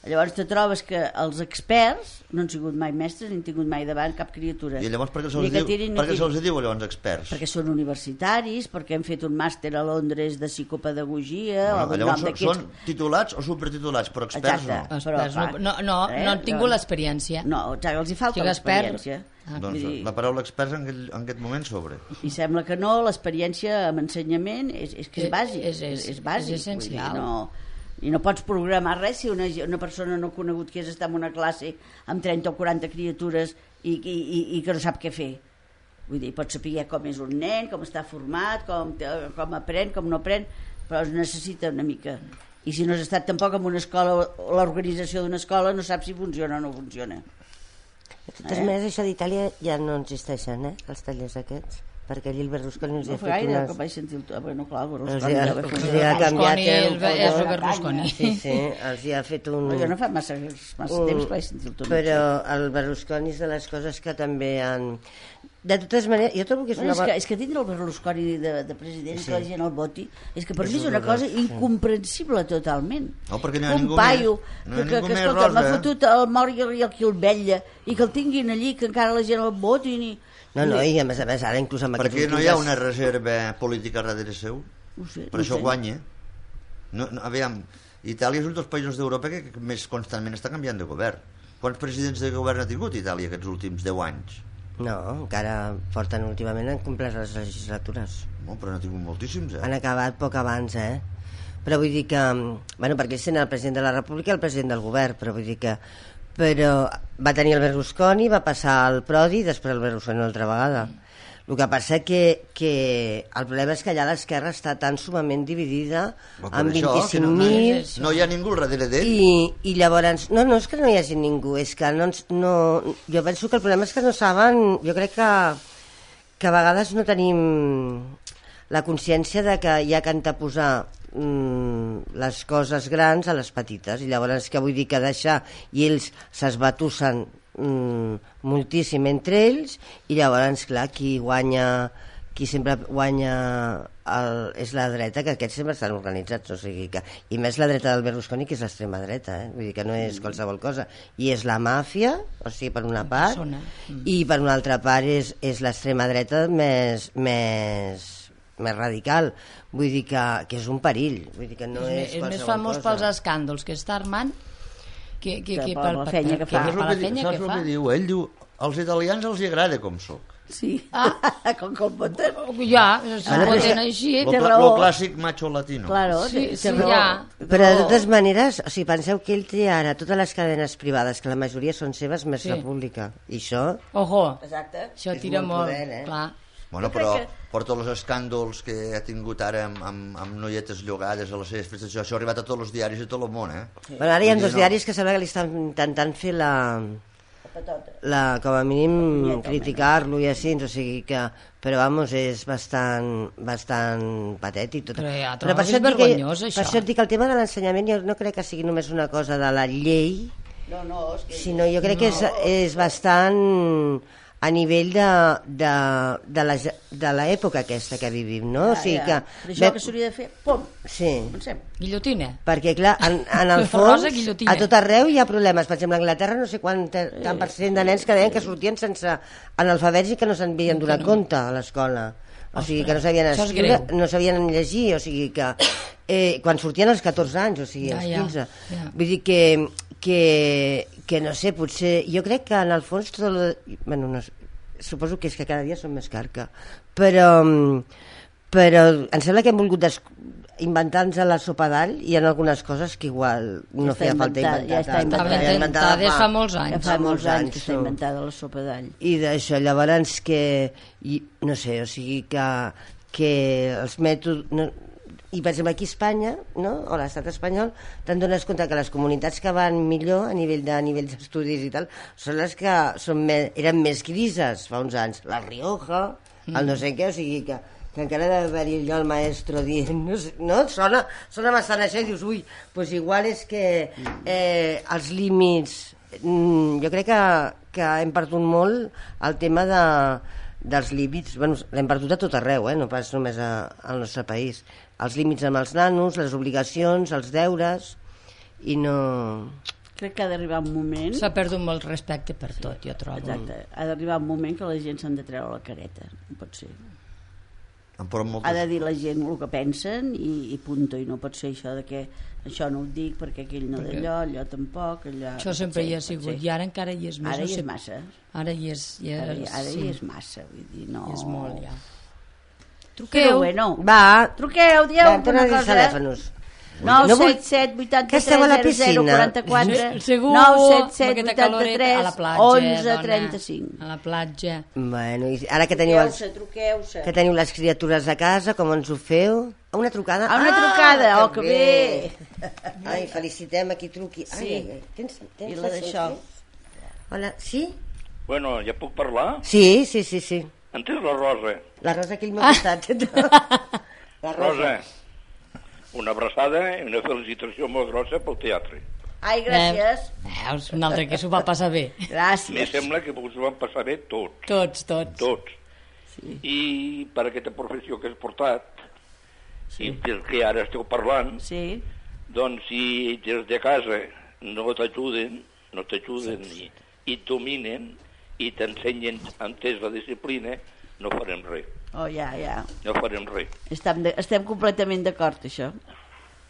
Llavors te trobes que els experts no han sigut mai mestres ni han tingut mai davant cap criatura. I llavors per què se'ls diu, tirin, per què se'ls diu llavors experts? Perquè són universitaris, perquè han fet un màster a Londres de psicopedagogia. No, o llavors són, són titulats o supertitulats, però experts Exacte, no. Però, experts no, no, eh? no han tingut l'experiència. No, els hi falta l'experiència. Ah, doncs dir... la paraula experts en, aquell, en aquest moment sobre. I sembla que no, l'experiència en ensenyament és, és que és bàsic. És, és, és, bàsic, és essencial. Dir, no... I no pots programar res si una, una persona no conegut que és estar en una classe amb trenta o quaranta criatures i, i, i, i que no sap què fer. Vull dir, pots saber com és un nen, com està format, com, com aprèn, com no aprèn, però es necessita una mica. I si no has estat tampoc en una escola, l'organització d'una escola no saps si funciona o no funciona. De totes eh? maneres, això d'Itàlia ja no existeixen, eh? Els tallers aquests. Perquè allí el Berlusconi els no ha fet gaire, unes... No vaig sentir el... Bueno, clar, el Berlusconi... El Berlusconi ha canviat... Berlusconi és el Berlusconi. Sí, sí, els hi ha fet un... Jo no fa massa, massa un... temps que vaig sentir el Toni. Però el Berlusconi és de les coses que també han... De totes maneres, jo trobo que és bueno, una... És que, és que tindre el Berlusconi de, de president, sí. Que la gent el voti, és que per és mi és una cosa sí. incomprensible totalment. No, perquè no hi ha un ningú paio més, no que, que, que escolta, m'ha fotut el mort i el qui el vetlla, i que el tinguin allí, que encara la gent el voti, ni... No, no, i a més a més, ara inclús amb aquests... Perquè no hi ha una reserva política darrere seu? No sé, per no això sé. guanya. No, no, aviam, Itàlia és un dels països d'Europa que més constantment està canviant de govern. Quants presidents de govern ha tingut Itàlia aquests últims deu anys? No, encara porten últimament, han complert les legislatures. No, però n'ha tingut moltíssims, eh? Han acabat poc abans, eh? Però vull dir que... Bueno, perquè ells tenen el president de la República i el president del govern, però vull dir que... Però va tenir el Berlusconi, va passar al Prodi i després el Berlusconi una altra vegada. El que passa que, que el problema és que allà l'esquerra està tan sumament dividida amb vint-i-cinc mil... No, no hi ha ningú darrere d'ell. I, I llavors... No, no és que no hi hagi ningú, és que no, no... Jo penso que el problema és que no saben... Jo crec que, que a vegades no tenim la consciència de que hi ha que anteposar mm, les coses grans a les petites, i llavors que vull dir que deixar i ells s'esbatussen mm, moltíssim entre ells, i llavors clar, qui guanya qui sempre guanya el, és la dreta, que aquests sempre estan organitzats, o sigui que, i més la dreta del Berlusconi, que és l'extrema dreta, eh? Vull dir que no és qualsevol cosa, i és la màfia, o sigui, per una part, mm. i per una altra part és, és l'extrema dreta més, més més radical, vull dir que, que és un perill, vull dir que no és, és, és més famós cosa. Pels escàndols que està armant que, que, que, que per la feina que fa. Que, que, que, que, que, que fa. Diu? Ell diu, als italians els agrada com soc. Sí, ah. com que el poten. Ja, si el poten així, té raó. Lo clàssic macho latino. Claro, sí, té, sí, té raó. ja. Però de totes maneres, o sigui, penseu que ell té ara totes les cadenes privades, que la majoria són seves, més sí. República. I això... Ojo, exacte. Això tira molt, molt poder, eh? clar. Bueno, però que... per tots els escàndols que ha tingut ara amb, amb, amb noietes llogades a les seves festes, això ha arribat a tots els diaris de tot el món, eh? Sí. Bueno, ara hi ha dos no... diaris que sembla que li estan intentant fer la... la com a mínim criticar-lo i així, o sigui que... Però, vamos, és bastant, bastant patètic. Tot. Però ja però per és vergonyós, que, això. Per això et dic que el tema de l'ensenyament jo no crec que sigui només una cosa de la llei, no, no, és que... sinó jo crec no. que és, és bastant... a nivell de, de, de, la, de l'època aquesta que vivim, no? Ja, o sigui ja. que... Per això que s'hauria de fer, pom, sí. Pensem. Guillotina. Perquè, clar, en, en el fons, a tot arreu hi ha problemes. Per exemple, a Anglaterra no sé quant tant per cent de nens que deien que sortien sense analfabets i que no se'n havien donat compte a l'escola. O sigui, que no sabien escriure, no sabien llegir, o sigui que... Eh, quan sortien als catorze anys, o sigui, als quinze. Ja, ja. Vull dir que... que que no sé, potser... Jo crec que en el fons tot el... Bueno, no, suposo que és que cada dia som més carca, però, però em sembla que hem volgut des... inventar-nos la sopa d'all i en algunes coses que igual no ja feia falta inventar. Ja està inventada. Ja inventada des fa molts anys. Ja fa molts anys que està inventada la sopa d'all. I d'això, llavors que... I, no sé, o sigui que, que els mètodes... No, i per exemple aquí a Espanya, no? O l'estat espanyol, te'n dones compte que les comunitats que van millor a nivell de nivells d'estudis i tal són les que són més, eren més grises fa uns anys, la Rioja, mm. el no sé què, o sigui que, que encara ha d'haver-hi allò el maestro dient, no, sé, no? Sona, sona bastant això i dius, ui, doncs igual és que eh, els límits, mm, jo crec que, que hem perdut molt el tema de dels límits, bueno, l'hem perdut a tot arreu, eh? No pas només a, al nostre país, els límits amb els nanos, les obligacions, els deures, i no... crec que ha d'arribar un moment... S'ha perdut molt respecte per tot, jo trobo. Exacte, ha d'arribar un moment que la gent s'han de treure la careta, no pot ser. Moltes... Ha de dir la gent el que pensen i, i punto, i no pot ser això de que això no ho dic perquè aquell no d'allò, allò tampoc, allò... Això sempre hi ha sigut, i ara encara hi és més. Ara no hi sé... és massa. Ara hi és... Hi és... Ara, ara sí. hi és massa, vull dir, no... Hi és molt, ja. Truqueu. Però bueno, va, truqueu, dieu va, alguna cosa. telèfonos. nou no vull... set set vuit Que esteu a la tres zero piscina? quatre quatre Segur, nou set set amb vuit aquesta caloreta, a la tres platja, onze dona, trenta cinc. a la platja. Bueno, i ara que teniu, els... Truqueu-se, truqueu-se. que teniu les criatures a casa, com ens ho feu? A una trucada? A una ah, trucada, oh, que bé! Ai, felicitem a qui truqui. Sí. Ai, ai, ai. Tens, tens I la d'això. Hola, sí? Bueno, ja puc parlar? Sí, sí, sí, sí. Entens la Rosa? La Rosa aquí al meu costat. La Rosa. Rosa, una abraçada i una felicitació molt grossa pel teatre. Ai, gràcies. Veus, un altre que s'ho va passar bé. Me Gràcies. sembla que us ho van passar bé tots. Tots, tots. Tots. Sí. I per aquesta professió que has portat, Sí. i perquè ara esteu parlant, Sí. doncs si des de casa no t'ajuden, no t'ajuden i, i et dominen i t'ensenyen entès la disciplina, no farem res. Oh, ja, ja. No farem res. Estem, de, estem completament d'acord, això.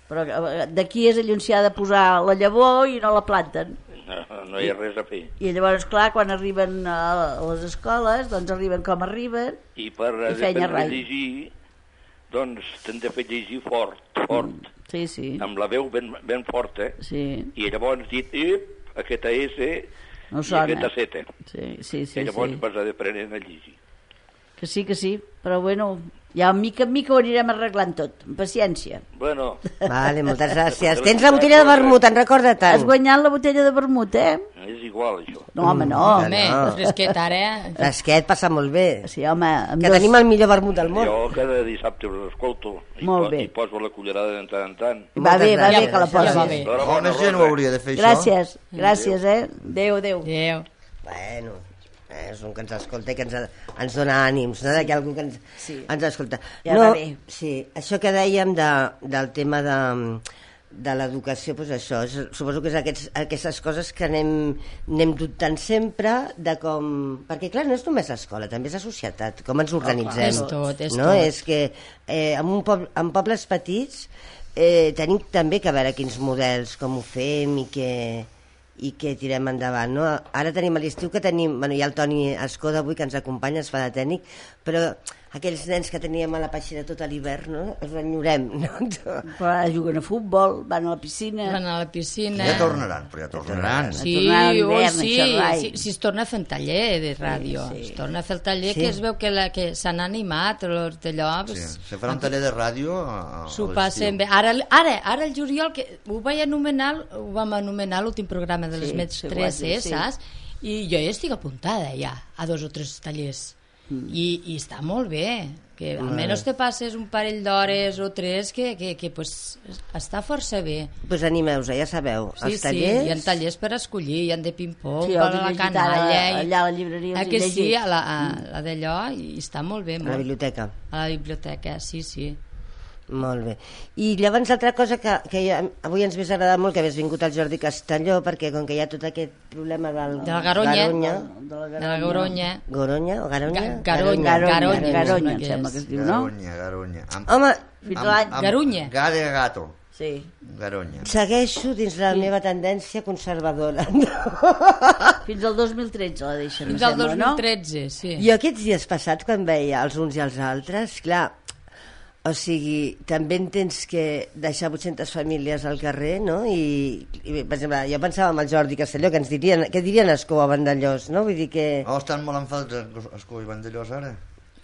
Però eh, d'aquí és allà on s'hi ha de posar la llavor i no la planten. No, no hi ha res a fer. I llavors, clar, quan arriben a les escoles, doncs arriben com arriben. I per I feina aprendre a rai. llegir, doncs t'han de fer llegir fort, fort, Mm, sí, sí. amb la veu ben, ben forta, Sí, i llavors dit, ep, aquesta S no i sona. aquesta Z. Sí, sí, sí. I llavors sí. vas a aprendre a llegir. Que sí, que sí. Però bueno, ja mica en mica ho anirem arreglant tot. Amb paciència. Bueno, Vale, moltes gràcies. Tens la botella de vermut, en recorda Has tant. guanyat la botella de vermut, eh? és igual, això. No, home, no. Home, no. no. fresquet ara, eh? Fresquet passa molt bé. Sí, home, amb Que dos... tenim el millor vermut del món. Jo cada dissabte us escolto i, Molt po bé. i poso la cullerada de tant en tant. Va bé, va Moltes bé que la gràcies. posis. Ja va bé. Enhorabona, Bona gent ho Rosa. hauria de fer, això. Gràcies, gràcies, eh? Adéu, adéu. Adéu. Bueno, eh, és un que ens escolta i que ens, ens dona ànims, no? Que hi ha algú que ens, Sí. ens escolta. Ja no, va bé. Sí, això que dèiem de, del tema de, de l'educació, doncs això, és, suposo que és aquests, aquestes coses que anem, anem dubtant sempre de com... Perquè, clar, no és només escola, també és la societat, com ens organitzem. És tot, és no? tot. És que eh, en, un poble, en pobles petits eh, tenim també que veure quins models, com ho fem i què, i què tirem endavant, no? Ara tenim a l'estiu que tenim, bueno, hi ha el Toni Escoda avui que ens acompanya, es fa de tècnic, però aquells nens que teníem a la peixera tot l'hivern, no? Els enyorem, no? Però ara juguen a futbol, van a la piscina... Van a la piscina. Ja tornaran, però ja tornaran. Sí, tornar a l'hivern, oi, a sí, xerrar. sí, sí, es torna a fer un taller de ràdio, Sí, sí. es torna a fer el taller Sí. que es veu que, la, que s'han animat, els d'allò... Sí, pues, se farà un taller de ràdio a, a S'ho l'estiu. passen bé. Ara, ara, ara el juliol, que ho vaig anomenar, ho vam anomenar l'últim programa de les Sí, Mets sí, ho tres, has dit, eh, sí. saps? I jo ja estic apuntada ja a dos o tres tallers. Mm. I, I està molt bé, que almenys te passes un parell d'hores o tres que, que, que pues, està força bé. Pues animeu-vos, ja sabeu, Sí, els tallers... sí, hi ha tallers per escollir, hi ha de ping-pong, Sí, per els he la llegit canalla... ara, i- allà a la llibreria els Ah, he que sí, llegit. a la, a, la d'allò, i està molt bé. A la Molt. biblioteca. A la biblioteca, sí, sí. Molt bé. I llavors altra cosa que, que ja, avui ens hauria agradat molt que hagués vingut el Jordi Castelló, perquè com que hi ha tot aquest problema del... De la Garonya. Garonya. De la De la Goronya. Goronya o Garonya? Ga- Garonya, Garonya, Garonya, Garonya, em em sembla sembla que que és. es diu, no? Garonya, Garonya. Amb, Home, Fins amb- l'any... amb- Garunya. Gare gato. Sí. Garonya. segueixo dins la meva tendència conservadora. Fins al dos mil tretze la deixen, em Fins al sembla, dos mil tretze, sí. Jo aquests dies passats, quan veia els uns i els altres, clar, o sigui, també entens que deixar vuit-centes famílies al carrer, no? I, i per exemple, jo pensava en el Jordi Castelló, que ens dirien, què dirien Escó a Vandellós, no? Vull dir que... Oh, estan molt enfadats Escó i Vandellós ara,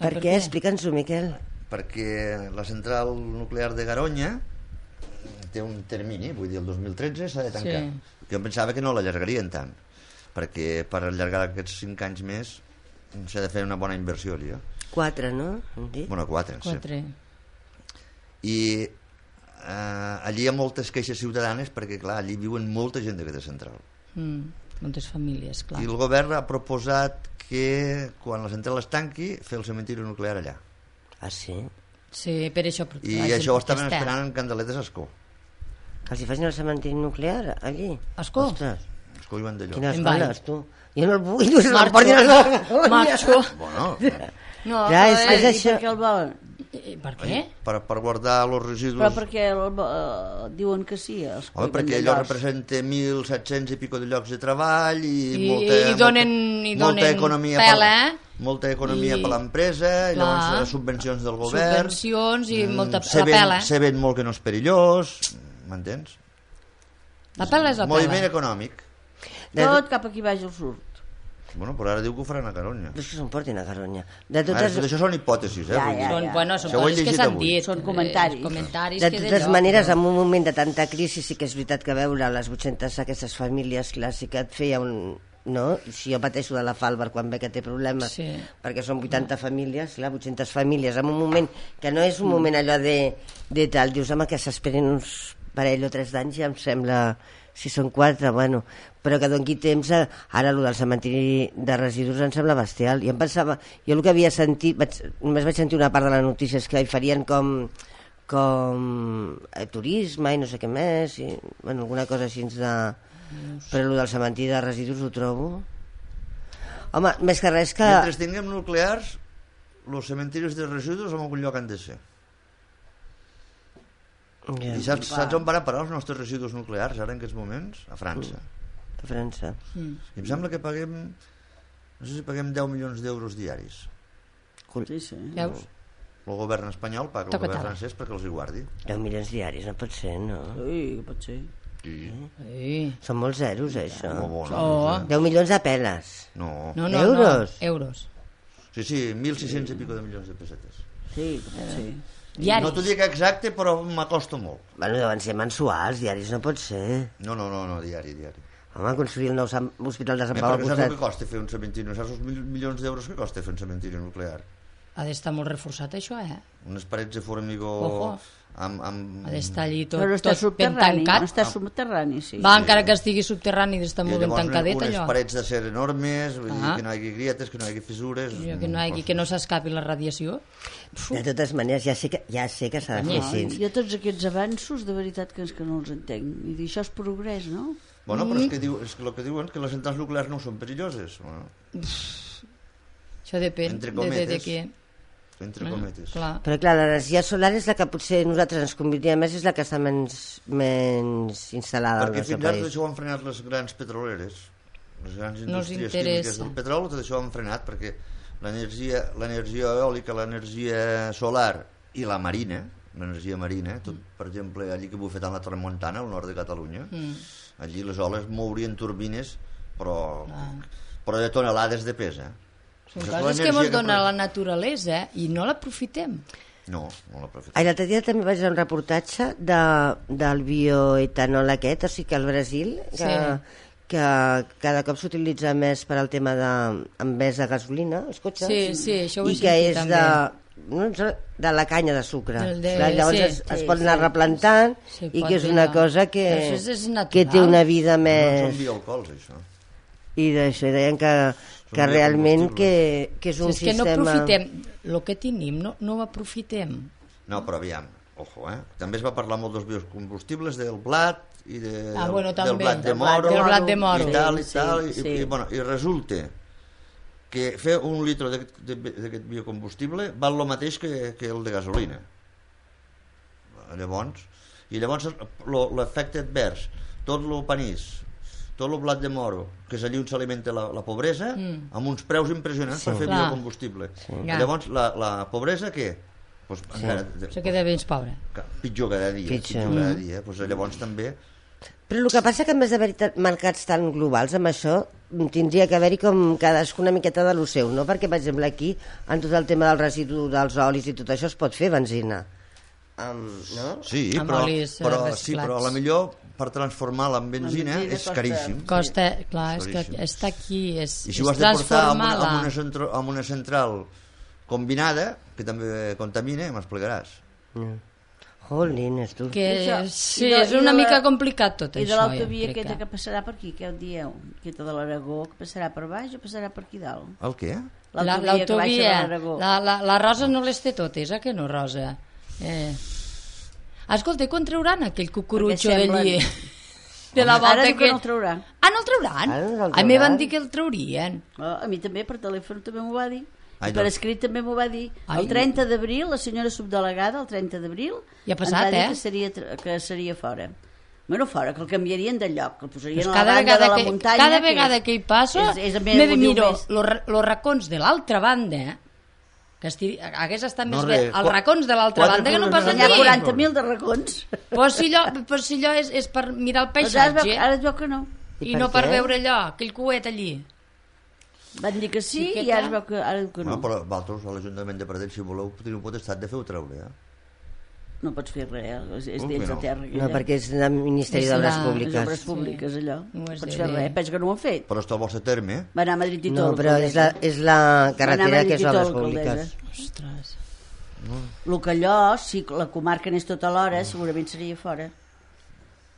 Per, per què? què? Explica'ns-ho, Miquel. perquè la central nuclear de Garonya té un termini, vull dir, el dos mil tretze s'ha de tancar. Sí. Jo em pensava que no l'allargarien tant, perquè per allargar aquests cinc anys més s'ha de fer una bona inversió allà. Quatre, no? Hem dit? Bueno, quatre, Quatre. sí. I eh, allí hi ha moltes queixes ciutadanes perquè, clar, allí viuen molta gent d'aquesta central. Mm, moltes famílies, clar. I el govern ha proposat que quan la central es tanqui fer el cementiri nuclear allà. Ah, sí? Sí, per això... I la gent això ho estaven protesta. esperant en Candeletes a Escó. Que els hi facin el cementiri nuclear, allí. Escó. Ostres, Escó i Vandellós. quines En Vall. ganes, tu. Jo no el vull, no se Marxo. l'emportin a la Marxo. Bueno, No, Clar, és eh, que és I això. per què el volen? eh, per què? per, per guardar els residus... Però perquè el, eh, diuen que sí, els Home, perquè allò representa mil set-cents i pico de llocs de treball i, I- molta, i donen- molta, i molta donen economia pela, per, eh? molta economia I- per l'empresa, i Clar. llavors eh, subvencions del govern. Subvencions i molta... se La ven, pela. se ven molt que no és perillós, m'entens? La pela és la Moviment pela. econòmic. De Tot cap aquí baix al sud. Bueno, però ara diu que ho faran a Caronya. És que s'emportin a Caronya. De Ara, totes, tot això són hipòtesis, eh? Ja, vull dir. ja, Són, bueno, són Això ho he coses que llegit s'han avui. dit. Són comentaris. eh, comentaris de que totes d'allò, maneres, però- en un moment de tanta crisi sí que és veritat que veure les vuit-centes aquestes famílies clàssiques et feia un... No? Si jo pateixo de la Falber quan ve que té problemes, Sí. perquè són vuitanta famílies, clar, vuit-centes famílies, en un moment que no és un moment allò de, de tal, dius, home, que s'esperin uns parell o tres d'anys, ja em sembla, si són quatre, bueno, però que doni temps, a, ara el del cementiri de residus em sembla bestial, i em pensava, jo el que havia sentit, vaig, només vaig sentir una part de la notícia, és que hi farien com com eh, turisme i no sé què més, i, bueno, alguna cosa així de... Però el del cementiri de residus ho trobo... Home, més que res que... Mentre tinguem nuclears, els cementiris de residus en algun lloc han de ser. Ja, I saps, saps on van a parar els nostres residus nuclears ara en aquests moments? A França. a França. Mm. I em sembla que paguem, no sé si paguem deu milions d'euros diaris. Sí, sí. Veus? El govern espanyol paga el Toca govern tala. francès perquè els hi guardi. deu milions diaris, no pot ser, no? Ui, que pot ser. Sí. Sí. Són molts zeros, això. Molt bona. Oh. deu milions de peles. No. No, no, Euros? no. Euros. Sí, sí, mil sis-cents i pico de milions de pessetes. Sí, que pot ser. Diaris. No t'ho dic exacte, però m'acosta molt. Bueno, deuen ser mensuals, diaris no pot ser. No, no, no, no diari, diari. Home, construir el nou Sant- hospital de Sant Eh, Pau al perquè saps el costat. que costa fer un cementiri? No saps els mil milions d'euros que costa fer un cementiri nuclear? Ha d'estar molt reforçat, això, eh? Unes parets de formigó Ojo. amb... amb... Ha d'estar allí tot, Però està tot ben subterrani. tancat. No està subterrani, sí. Va, encara que estigui subterrani, ha d'estar I molt ben llavors tancadet, unes allò. parets d'acer enormes, vull dir Ah. que no hi hagi grietes, que no hi hagi fissures... Jo, que no, hi hagi, que no s'escapi la radiació. De totes maneres, ja sé que, ja sé que s'ha de fer No, així. Jo tots aquests avanços, de veritat que és que no els entenc. I dir, això és progrés, no? Bueno, però Mm. és que, diu, és que el que diuen que les centrals nuclears no són perilloses. Bueno, Això depèn Entre de, de, de cometes. què. entre Eh? cometes. Clar. Però clar, l'energia solar és la que potser nosaltres ens convindria més, és la que està menys, menys instal·lada al Perquè nostre fins ara tot país. això ho han frenat les grans petroleres, les grans No els indústries interessa. químiques del petroli, tot això ho han frenat perquè l'energia l'energia eòlica, l'energia solar i la marina, l'energia marina, tot, per exemple, allí que bufetant la tramuntana, al nord de Catalunya, Mm. allí les oles mourien turbines, però, però de tonelades de pes, eh? Són Això és coses que l'energia ens dona pro- la naturalesa i no l'aprofitem. No, no l'aprofitem. Ai, l'altre dia també vaig veure un reportatge de, del bioetanol aquest, o sigui que al Brasil, que, Sí. que cada cop s'utilitza més per al tema de, en vez de gasolina, els cotxes, Sí, sí, això ho he i que sentit és també. de, no, de la canya de sucre. Del de- Clar, llavors sí, es, es sí, pot anar sí. replantant Sí, i pot que és fer una allò. cosa Però que, això és- és natural. que té una vida No més... són bioalcohols, això. I d'això, i deien que, que realment que, que és Si un és que no sistema... aprofitem el que tenim, no, no ho aprofitem. No, però aviam, ojo, eh? També es va parlar molt dels biocombustibles, del blat i de, Ah, bueno, del també. blat de Del moro, Del blat de moro. i tal, i Sí, tal, i, sí. i, bueno, i resulta que fer un litre d'aquest de- d'aquest biocombustible val el mateix que, que el de gasolina. Llavors, i llavors lo- l'efecte advers, tot el panís, tot el blat de moro, que és allí on s'alimenta la, la pobresa, Mm. amb uns preus impressionants Sí. per fer Clar. biocombustible. Ja. Llavors, la, la pobresa, què? Pues, encara, Se queda ben pobre. Ca- pitjor cada dia, Pitjor. pitjor cada dia. Pues llavors també... Però el que passa que en vez d'haver mercats tan globals amb això, tindria que haver-hi com cadascuna una miqueta de lo seu, no? Perquè, per exemple, aquí, en tot el tema del residu dels olis i tot això, es pot fer benzina. Um, no? Sí, Amb però, olis, eh, però, sí, reciclats. però a la millor per transformar-la en benzina benzina és costa- caríssim. Costa, clar, és que Caríssim. està aquí, és, I si és ho has de portar amb una, transformar-la. amb, una centro, amb una central combinada, que també contamina, m'explicaràs. Jolines, tu. Que Això, sí, i de- és i de una la- mica complicat tot I de això. l'autovia jo crec aquesta que passarà per aquí, què ho dieu? Aquesta de l'Aragó, que passarà per baix o passarà per aquí dalt? El què? La- que baixa de L'autovia, l'Aragó. la, la, la Rosa no les té totes, eh, que no, Rosa? Eh. Escolta, i quan trauran aquell cucurutxo Perquè d'allí? semblen- De la volta Ara diu que aquell... no el trauran. Ah, no el trauran? Ara no el A mi trauran. van dir que el traurien. Oh, a mi també, per telèfon també m'ho va dir. Ai, I per doncs. escrit també m'ho va dir. Ai. El trenta d'abril, la senyora subdelegada, el trenta d'abril, Ja ha passat, ens va dir eh? que seria, tra- que seria fora. Bueno, fora, que el canviarien de lloc, que el posarien Pues a la cada banda vegada, de la que, muntanya. cada que vegada és- que hi passo és, és, me ho diu miro més. els racons de l'altra banda, que estigui, hagués estat No, més res. bé els racons de l'altra Quatre banda que no columnes passen Hi ha allà. ni. quaranta mil de racons. Però si allò, però si allò és, és per mirar el Doncs ara, es veu, paisatge ara es veu que no. I i per no per què? veure allò, aquell coet allí. Van dir que sí, Sí que i ara clar. es veu que, ara diu que No, no. però vosaltres, a l'Ajuntament de Pradell, si voleu, teniu potestat de fer-ho treure, eh? No pots fer res, eh? és, és Com dins que de no? terra. No, perquè és del Ministeri És d'Obres la- Les Públiques. obres públiques, allò. No No és pots de- fer res, penso que no ho han fet. Però està al vostre terme, eh? Va anar a Madrid i No, tot. però és la, és la carretera que és Madrid i Obres tot, Públiques. alcaldessa. Ostres. El que allò, si la comarca anés tota l'hora, segurament seria fora.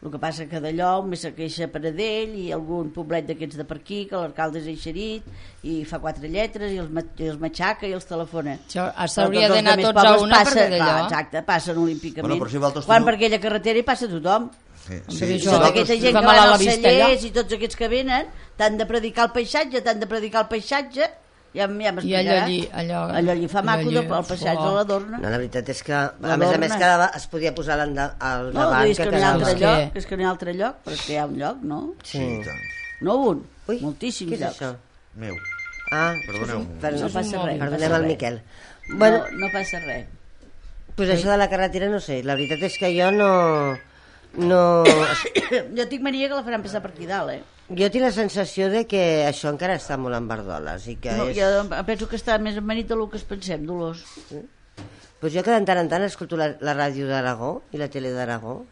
El que passa que d'allò més se queixa Pradell i algun poblet d'aquests de per aquí, que l'alcalde és eixerit i fa quatre lletres i els, ma- i els matxaca i els telefona. Això Però s'hauria tots els d'anar altres tots a pobles una per passen- veure clar, allò. exacte, passen olímpicament. Bueno, però si vosaltres Quan teniu- per aquella carretera hi passa tothom. Sí, Però sí. això- I tota aquesta gent fa que mal van a la als vista, cellers allò. i tots aquests que venen t'han de predicar el paisatge, t'han de predicar el paisatge, ja, ja I m'explicaràs. allò allí... Allò, allò allí fa maco allò de, el paisatge oh. de l'Adorna. No, la veritat és que, a La més a Dorna. més, cada va- es podia posar al, al No, davant és que no hi ha quedava- altre És lloc, que- és que no hi ha altre lloc, però és que hi ha un lloc, no? Sí, Sí. i tant. No un, Ui, moltíssims què és llocs. això? Meu. Ah, Perdoneu. per, No passa res, no Perdonem passa al res. Miquel. Bueno, No, no passa res. pues això de la carretera no sé, la veritat és que jo no... no Jo tinc mania que la faran passar per aquí dalt, eh? jo tinc la sensació de que això encara està molt en verdoles i que No, és... jo penso que està més amanit del que es pensem, Dolors. Pues jo que de tant en tant escolto la, la ràdio d'Aragó i la tele d'Aragó,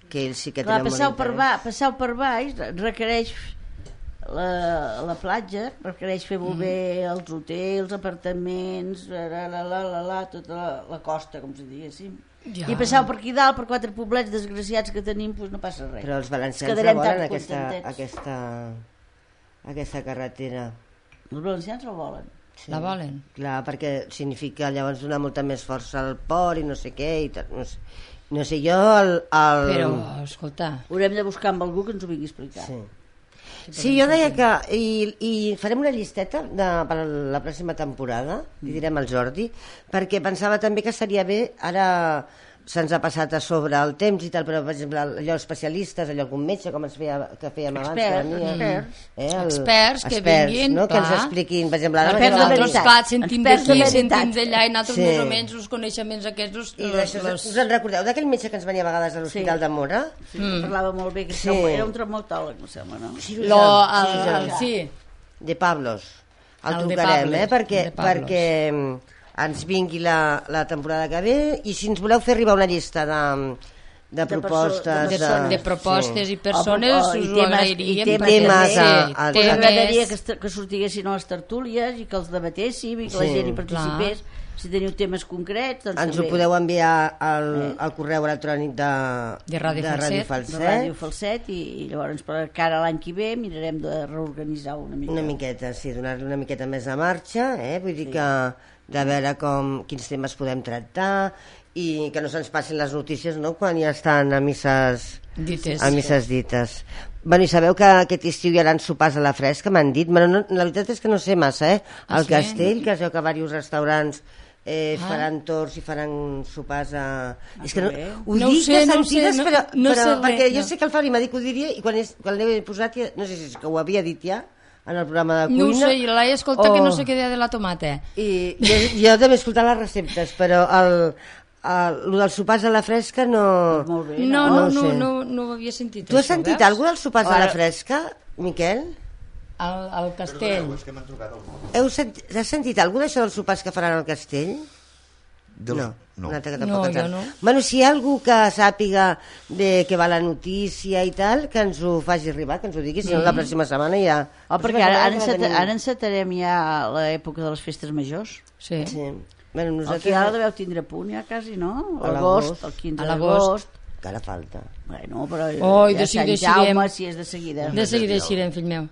que ells sí que Clar, tenen passeu molt per, interès. ba passeu per baix requereix la, la platja, requereix fer molt bé els hotels, apartaments, la, la, la, la, la, tota la, la costa, com si diguéssim. Ja. I passeu per aquí dalt, per quatre poblets desgraciats que tenim, doncs no passa res. Però els valencians Quedarem la tan volen, aquesta, contentets. aquesta, aquesta carretera. Els valencians la volen. Sí. La volen? Clar, perquè significa llavors donar molta més força al port i no sé què i tal. No sé, no sé jo el... el... Però, escolta... Haurem de buscar amb algú que ens ho vingui a explicar. Sí. Sí, jo deia que... I, i farem una llisteta de, per la pròxima temporada, li direm al Jordi, perquè pensava també que seria bé, ara se'ns ha passat a sobre el temps i tal, però per exemple allò especialistes, allò algun metge, com ens feia, que fèiem abans, Experts, que venia, experts. eh, el, Experts que vinguin, no? que ens clar. expliquin, per exemple, ara Experts de Nosaltres, veritat. clar, sentim Experts de d'aquí, veritat. sentim d'allà, i nosaltres Sí. més o menys els coneixements aquests... I los- d'això, los- us en recordeu d'aquell metge que ens venia a vegades a l'Hospital Sí. de Mora? Sí, mm. Parlava molt bé, que Sí. sí. era un traumatòleg, no sembla, no? Sí, Lo, sí, el, sí. el, sí, De Pablos. El, El de trucarem, Pablos, eh? Perquè, de Pablos. perquè mm, ens vingui la, la temporada que ve i si ens voleu fer arribar una llista de, de perso- propostes... de de, de propostes i persones, O- o- i us ho temes- agrairíem. i temes perquè- temes sí, a- a- Pues m'agradaria que, temes... est- que sortiguessin a les tertúlies i que els debatéssim i que la Sí, gent hi participés. Si teniu temes concrets, doncs Ens ho també. podeu enviar al, Eh. al correu electrònic de, De Ràdio de Falset. Ràdio de Falset. Ràdio Falset i, i llavors per cara a l'any que ve mirarem de reorganitzar una mica. Una miqueta, sí, donar-li una miqueta més de marxa, eh? Vull dir que de veure com, quins temes podem tractar i que no se'ns passin les notícies, no?, quan ja estan a misses, Dites. a misses dites. Bueno, i sabeu que aquest estiu hi haurà sopars a la fresca, m'han dit? Bueno, no, la veritat és que no sé massa, eh? Ah, Al sí? castell, que es veu que diversos restaurants eh, Ah. faran torns i faran sopars a... és que no, bé. ho No ho dic sé, de no ho sé, sentides, no- però, no però sé res, perquè jo no. sé que el Fabri m'ha dit que ho diria i quan, és, quan l'he posat, ja, no sé si és que ho havia dit ja, en el programa de cuina. No ho sé, i l'he escoltat o- que no sé què deia de la tomata. I jo, jo també he escoltat les receptes, però el, el, el dels sopars a la fresca no... Molt bé, No, no no, ho no, sé. no, no ho havia sentit. Tu has això, sentit veus? alguna dels sopars a la Ara- fresca, Miquel? Al, al castell. És que m'han trucat algú. Heu sent, has sentit alguna d'això dels sopars que faran al castell? Del... No, no. un altre que No, tampoc ens jo sap. no. Bueno, si hi ha algú que sàpiga de què va la notícia i tal, que ens ho faci arribar, que ens ho digui, si no la pròxima setmana ja... Oh, perquè ara, ara, enceta, ara encetarem ja l'època de les festes majors. Sí. Sí. Bueno, El nosaltres... que ara deveu tindre a punt ja quasi, no? A L'agost, l'agost. el quinze A l'agost. d'agost. Encara falta. Bueno, però Oi, ja de seguida Sant Jaume, eixirem. si és de seguida. De seguida eixirem, fill meu.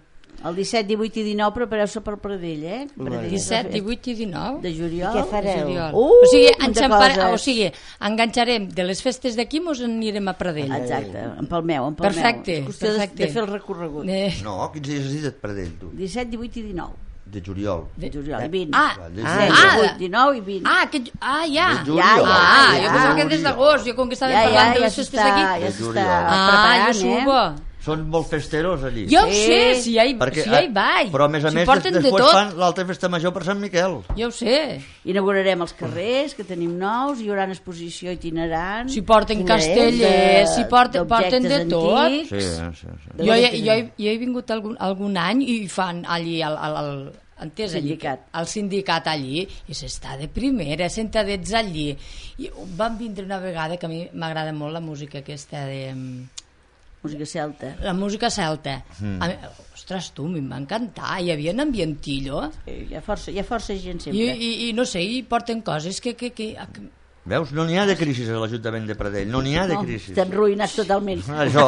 El disset, divuit i dinou prepareu-se per Pradell, eh? Pradell, disset, divuit i dinou de juliol. I què fareu? Uh, o sigui, coses. o sigui, enganxarem de les festes d'aquí, mos anirem a Pradell. Exacte, en Palmeu, en Palmeu. Perfecte, és qüestió perfecte. De, de fer el recorregut. Eh. No, quins dies has dit et Pradell, tu? disset, divuit i dinou. De juliol. De juliol, i vint. Ah, Ah, disset, ah, divuit, dinou i vint. ah, que, ah, ja. De juliol. Ja, ja, Ah, ja. jo pensava que des d'agost, jo com que estàvem Ja, ja, parlant de ja les festes s'està d'aquí. ja De s'està juliol. Ah, preparant, jo subo. eh? Són molt festeros allí. Jo ho Sí. sé, si ja hi, Perquè, si ja hi vaig. Però a més a si més porten des, de després tot. fan l'altra festa major per Sant Miquel. Jo ho sé. Inaugurarem els carrers, que tenim nous, hi haurà una exposició itinerant. Si porten Quina és? castellers, si porten, porten de d'objectes tot. antics. Sí, sí, sí. De Jo, lo he, que jo, he, jo he vingut algun, algun any i fan allí al, al, al entès allí, Sindicat. al sindicat allí i s'està de primera, sentadets allí i van vindre una vegada que a mi m'agrada molt la música aquesta de Música celta. la música celta mm. a mi, ostres tu, mi va encantar hi havia un ambientillo Sí, hi ha força, hi ha força gent i, sempre. i, i no sé, i porten coses que, que, que, que Veus? No n'hi ha de crisi a l'Ajuntament de Pradell. No n'hi ha de No, crisi. estem ruïnats totalment. Això.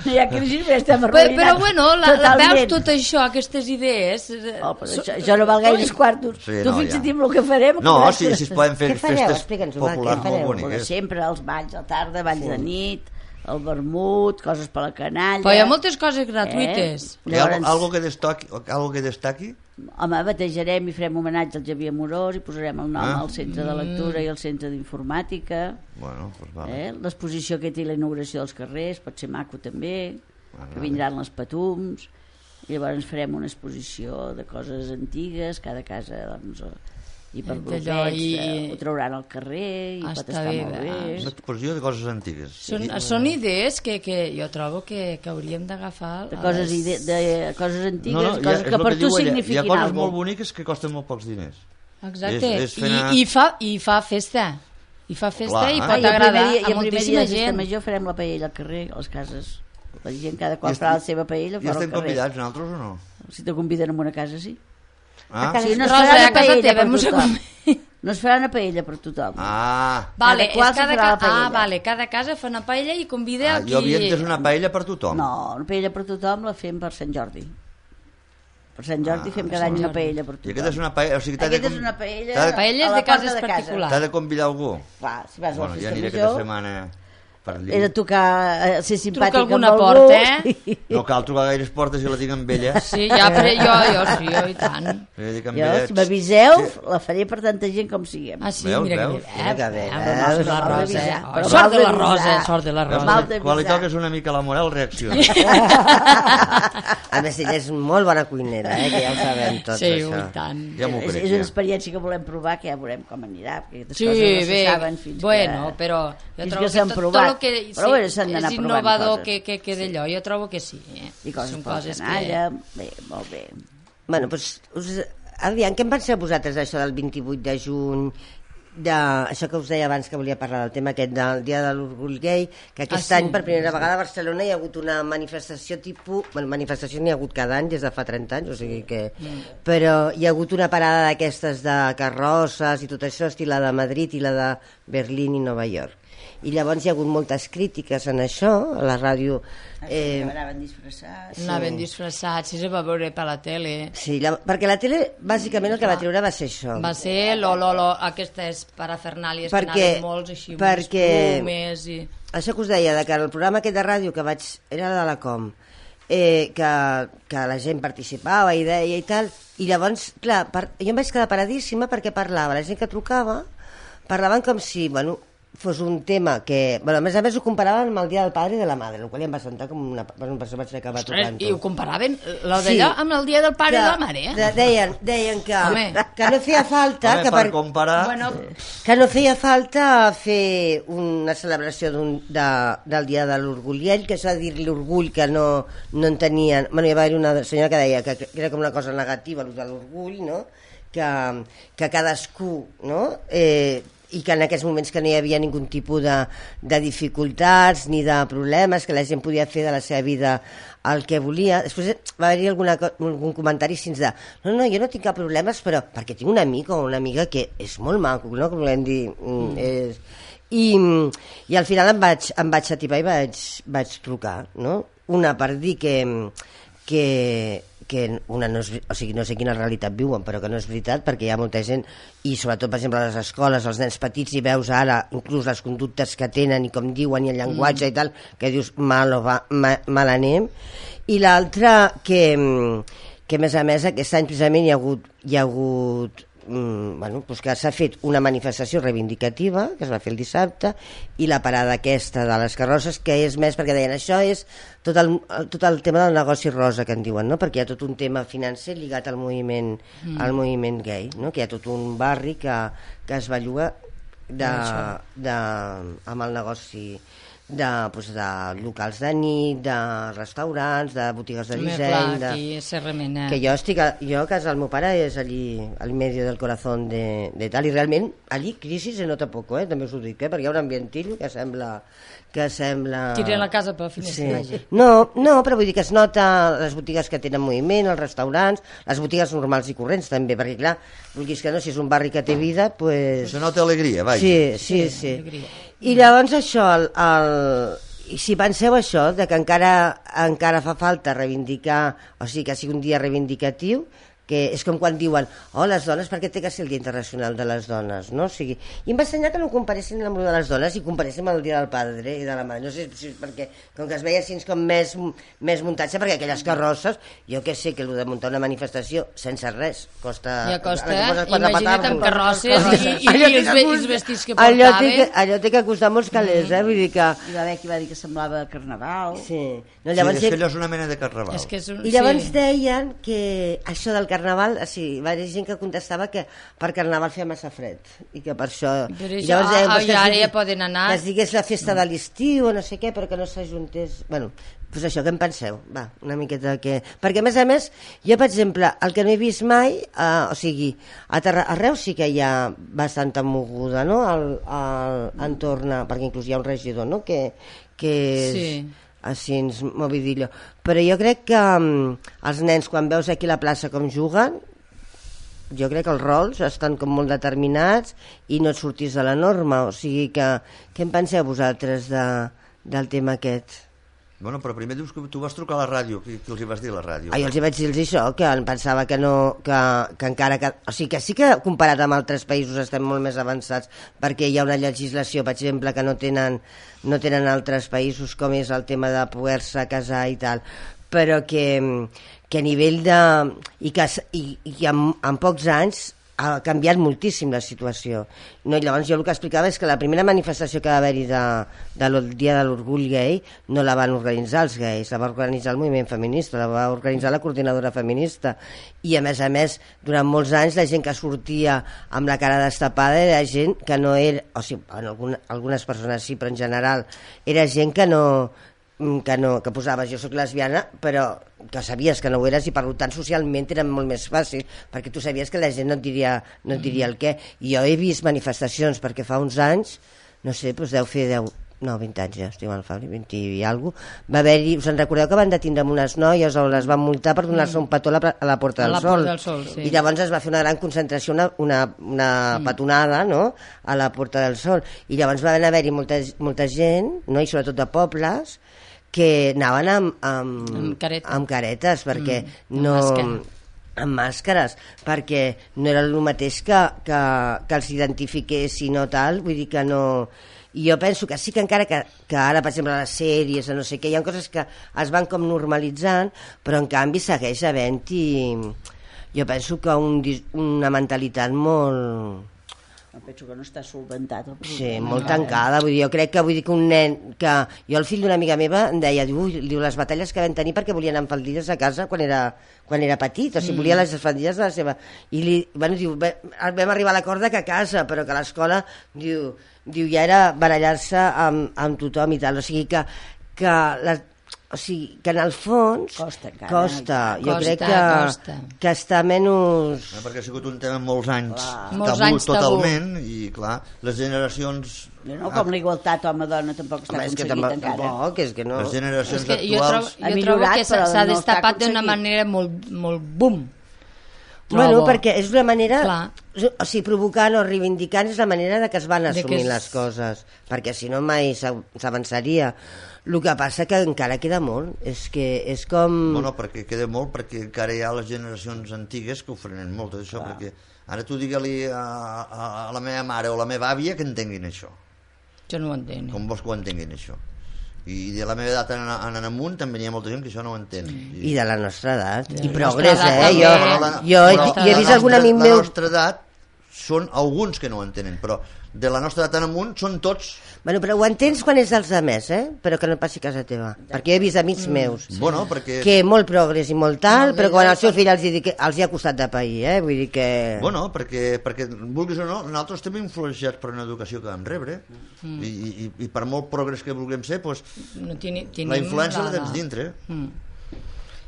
No hi ha crisi, però estem però, arruïnats. però bueno, la, la, totalment. veus tot això, aquestes idees eh, Oh, però so- això, això no val gaires quartos. Sí, tu no, fixa't ja. en el que farem. No, que si, si es poden fer Què fareu? festes Explica'ns-ho, va, populars què molt fareu? Però boniques. sempre els balls a tarda, balls sí. de nit, el vermut, coses per la canalla. però hi ha moltes coses gratuïtes Eh? Hi ha Llavors, algo que destaqui? Algo que destaqui? home, batejarem i farem homenatge al Xavier Amorós i posarem el nom Ah. al centre de lectura i al centre d'informàtica. Bueno, doncs vale. Eh? L'exposició que té la inauguració dels carrers pot ser maco també, Vale, que vindran les patums, i llavors farem una exposició de coses antigues, cada casa doncs, i per D'allò, grupets i- eh, ho trauran al carrer i Ah, pot està estar bé, molt va. bé. Una exposició de coses antigues. són, són idees que, que jo trobo que, que hauríem d'agafar De a coses, les- ide de coses antigues, No, no, coses ja, és que el per que tu diu ella. Hi ha signifiquin coses alguna molt cosa. boniques que costen molt pocs diners. Exacte, És- és fer anar- I, i, fa, i fa festa i fa festa Clar. i Ah, pot Ah, i el agradar primer dia, i a el primer dia moltíssima de festa gent. major farem la paella al carrer, a les cases. La gent, cada I qual est- farà la seva paella I fora al estem carrer. convidats, nosaltres, o no? Si te conviden a una casa, sí. Ah, casa- Sí, no es Rosa, farà a una casa paella teva, per mos tothom. acom- No es farà una paella per tothom. ah. Vale, Cada qual és cada se farà ca... la paella. Ah, vale, cada casa fa una paella i convida ah a qui... jo havia entès una paella per tothom. No, una paella per tothom la fem per Sant Jordi. Per Sant Jordi Ah, fem per cada Sant any una Jordi. paella per I tothom. aquesta és una paella... O sigui, t'ha de, Aquesta és com- una paella t'ha de, Paelles a la de porta cases de casa. particulars. t'ha de convidar algú. Clar, si vas a la Bueno, ja festa aniré aquesta major, setmana per allí. he de tocar, eh, ser simpàtic Truca alguna amb algú. porta, eh? No cal trucar gaires portes i la tinc amb ella. Sí, ja, però jo, jo sí, jo i tant. Ja dic amb Jo, ella. si m'aviseu, la faré per tanta gent com siguem. Ah, sí, Veus, mira que veus? bé. Mira que bé, Eh, veus? sort de la Mal Rosa, d'avisar, eh? però Oh, sort de la mal Rosa, d'avisar. sort de la Veus? Rosa. Mal d'avisar. Quan li toques una mica la moral, reacciona. A més, ella és molt bona cuinera, eh, que ja ho sabem tots, Sí, això. i tant. Ja m'ho és, crec, és una ja. experiència que volem provar, que ja veurem com anirà, perquè aquestes Sí, coses no se bé, saben fins bueno, que... però jo fins trobo que que, s'han tot, provat. tot el que Però bueno, s'han sí, d'anar és provant innovador coses. que, que, que d'allò, jo trobo que sí. Eh? I coses Són per la coses canalla, bé, molt bé. Bueno, doncs, us, aviam, què en penseu vosaltres d'això del vint-i-vuit de juny, de, això que us deia abans que volia parlar del tema aquest del Dia de l'Orgull Gai, que aquest Ah, sí. any per primera vegada a Barcelona hi ha hagut una manifestació tipus, bueno, manifestació n'hi ha hagut cada any des de fa trenta anys, o sigui que Mm. però hi ha hagut una parada d'aquestes de carrosses i tot això, estil la de Madrid i la de Berlín i Nova York. I llavors hi ha hagut moltes crítiques en això, a la ràdio. Eh, Eh, anaven disfressats. Anaven disfressats, si se va veure per la tele. sí, la, perquè la tele bàsicament el que va treure va ser això. Va ser lo, lo, lo, aquestes parafernàlies que Perquè- anaven molts així, amb perquè- unes plomes i... Això que us deia, de que el programa aquest de ràdio que vaig... era de la Com, eh, que, que la gent participava i deia i tal, i llavors, clar, per, jo em vaig quedar paradíssima perquè parlava, la gent que trucava, parlaven com si, bueno, fos un tema que... Bueno, a més a més ho comparaven amb el Dia del Padre i de la Madre, el qual ja em va sentar com una... Bueno, per això vaig acabar Ostres, trucant-ho. i ho comparaven, lo Sí. d'allò, amb el dia del pare Que- i de la mare, eh? de- Deien, deien que, Home. que no feia falta... Home, que per comparar... Bueno, que no feia falta fer una celebració d'un, de, del Dia de l'Orgull i ell, que s'ha de dir l'orgull que no, no en tenien... Bueno, hi va haver una senyora que deia que, que era com una cosa negativa, el de l'orgull, no? Que, que cadascú, no? Eh, i que en aquests moments que no hi havia ningun tipus de, de dificultats ni de problemes, que la gent podia fer de la seva vida el que volia. Després va haver-hi alguna, co- algun comentari així de no, no, jo no tinc cap problemes, però perquè tinc un amic o una amiga que és molt maco, no? Que volem dir... Mm. És, i, i al final em vaig, em vaig atipar i vaig, vaig trucar, no? Una per dir que, que, que una no, és, o sigui, no sé quina realitat viuen, però que no és veritat, perquè hi ha molta gent, i sobretot, per exemple, a les escoles, els nens petits, i veus ara inclús les conductes que tenen i com diuen i el llenguatge mm. i tal, que dius mal, o va, ma, mal anem. I l'altre, que, que a més a més aquest any precisament hi ha hagut, hi ha hagut bueno, doncs que s'ha fet una manifestació reivindicativa que es va fer el dissabte, i la parada aquesta de les carrosses, que és més perquè deien això és tot el, tot el tema del negoci rosa que en diuen, no? Perquè hi ha tot un tema financer lligat al moviment, mm. al moviment gay, no? Que hi ha tot un barri que, que es belluga de, de, amb el negoci de, doncs, de locals de nit, de restaurants, de botigues de disseny, de... que jo estic a, jo a casa del meu pare és allí al medio del corazón de, de tal, i realment allí crisi se nota poco, eh? També us ho dic, eh? Perquè hi ha un ambientillo que sembla que sembla... Tiren la casa per finestra. Sí. No, no, però vull dir que es nota les botigues que tenen moviment, els restaurants, les botigues normals i corrents també, perquè clar, vulguis que no, si és un barri que té vida, pues... Se nota alegria, vaja. Sí, sí, sí. sí. I llavors això, el, el, si penseu això, de que encara, encara fa falta reivindicar, o sigui que sigui un dia reivindicatiu, que és com quan diuen, oh, les dones, per què té que ser el Dia Internacional de les Dones, no? O sigui, i em va assenyar que no comparessin amb el de les dones i comparessin amb el Dia del Padre i de la Mare, no sé si és perquè, com que es veia així com més, més muntatge, perquè aquelles carrosses, jo que sé que el de muntar una manifestació sense res, costa... Ja costa, imagina't amb carrosses i, i, i, i els, els vestits que portaven. Allò té que, allò té que costar molts calés, eh? Vull dir que... Hi va haver qui va dir que semblava carnaval. Sí. No, llavors, sí, és que allò és una mena de carnaval. És que és un, I llavors sí. deien que això del carnaval, sí, va haver gent que contestava que per carnaval feia massa fred i que per això... Però això, llavors deien, ah, ja, ara ja poden anar... Que es digués la festa de l'estiu o no sé què, però que no s'ajuntés... Bueno, doncs això, què en penseu? Va, una miqueta que... Perquè, a més a més, jo, per exemple, el que no he vist mai, eh, o sigui, a, Terra, a Reus sí que hi ha bastanta moguda, no?, al, al entorn, perquè inclús hi ha un regidor, no?, que, que és... Sí. Així, movidillo. Però jo crec que um, els nens, quan veus aquí a la plaça com juguen, jo crec que els rols estan com molt determinats i no et sortís de la norma. O sigui que, què en penseu vosaltres de, del tema aquest? Bueno, però primer dius que tu vas trucar a la ràdio. Qui, qui els hi vas dir a la ràdio? Ah, jo els hi vaig dir això, que em pensava que no... Que, que encara que... O sigui, que sí que comparat amb altres països estem molt més avançats, perquè hi ha una legislació, per exemple, que no tenen, no tenen altres països, com és el tema de poder-se casar i tal, però que, que a nivell de... I que, i, i en, en pocs anys ha canviat moltíssim la situació. No, i llavors jo el que explicava és que la primera manifestació que va haver-hi de, del Dia de l'Orgull Gai no la van organitzar els gais, la va organitzar el moviment feminista, la va organitzar la coordinadora feminista, i a més a més durant molts anys la gent que sortia amb la cara destapada era gent que no era, o sigui, en alguna, algunes persones sí, però en general era gent que no que no, que posaves jo soc lesbiana, però que sabies que no ho eres, i per tant socialment era molt més fàcil, perquè tu sabies que la gent no et diria, no et diria el què. I jo he vist manifestacions, perquè fa uns anys, no sé, doncs deu fer deu, no, vint anys ja, estic mal, fa vint i alguna cosa, va haver-hi, us en recordeu que van detindre amb unes noies o les van multar per donar-se un petó a la, a la Porta del a la Sol, Porta del Sol, sí. I llavors es va fer una gran concentració, una, una, una mm. petonada, no?, a la Porta del Sol, i llavors va haver-hi molta, molta gent, no?, i sobretot de pobles, que anaven amb, amb, amb, careta. amb caretes, perquè mm, no... amb màscares, perquè no era el mateix que, que, que els identifiquessin o tal, vull dir que no... I jo penso que sí que encara que, que ara, per exemple, a les sèries o no sé què, hi ha coses que es van com normalitzant, però en canvi segueix havent-hi, jo penso que un, una mentalitat molt... penso que no està solventat. Sí, molt tancada, vull dir, jo crec que vull dir que un nen, que jo el fill d'una amiga meva em deia, diu, diu, les batalles que vam tenir perquè volien anar amb faldilles a casa quan era, quan era petit, o sigui, mm. volia les faldilles de la seva, i li, bueno, diu, vam arribar a l'acord que a casa, però que a l'escola, diu, diu, ja era barallar-se amb, amb tothom i tal, o sigui que, que les, o sigui, que en el fons costa, encara, costa. jo costa, crec que, costa. que està menys... No, perquè ha sigut un tema molts anys tabú, molts anys totalment, tabú. I clar, les generacions... No, com l'igualtat home-dona tampoc està home, aconseguit tampoc, encara. Tampoc, és que no. Les generacions és que actuals... Jo trobo, jo trobo que s'ha no destapat d'una manera molt, molt boom. trobo. Bueno, perquè és una manera... Clar. O sigui, provocant o reivindicant és la manera de que es van assumir és... les coses, perquè si no mai s'avançaria. El que passa que encara queda molt, és que és com... Bueno, perquè queda molt, perquè encara hi ha les generacions antigues que ho frenen molt, tot això, perquè ara tu digue-li a, a, a la meva mare o la meva àvia que entenguin això. Jo no ho entenc. Com vols que ho entenguin, això? I de la meva edat en, en amunt també hi ha molta gent que això no ho entén. I, I de la nostra edat. De I la progrés, nostra eh? edat Jo, també. jo, La jo, nostra he edat. vist algun amic la meu... nostra edat són alguns que no ho entenen, però de la nostra edat en amunt són tots. Bueno, però ho entens quan és dels altres, eh? Però que no passi a casa teva. Perquè he vist amics meus Sí. Bueno, perquè... que molt progrés i molt tal, Molt però bé, quan ja al seu està. fill els hi, dic, els hi ha costat de pair, eh? Vull dir que... Bueno, perquè, perquè vulguis o no, nosaltres estem influenciats per una educació que vam rebre, mm. I, i, i per molt progrés que vulguem ser, doncs, No tini, la influència la tens dintre. Mm.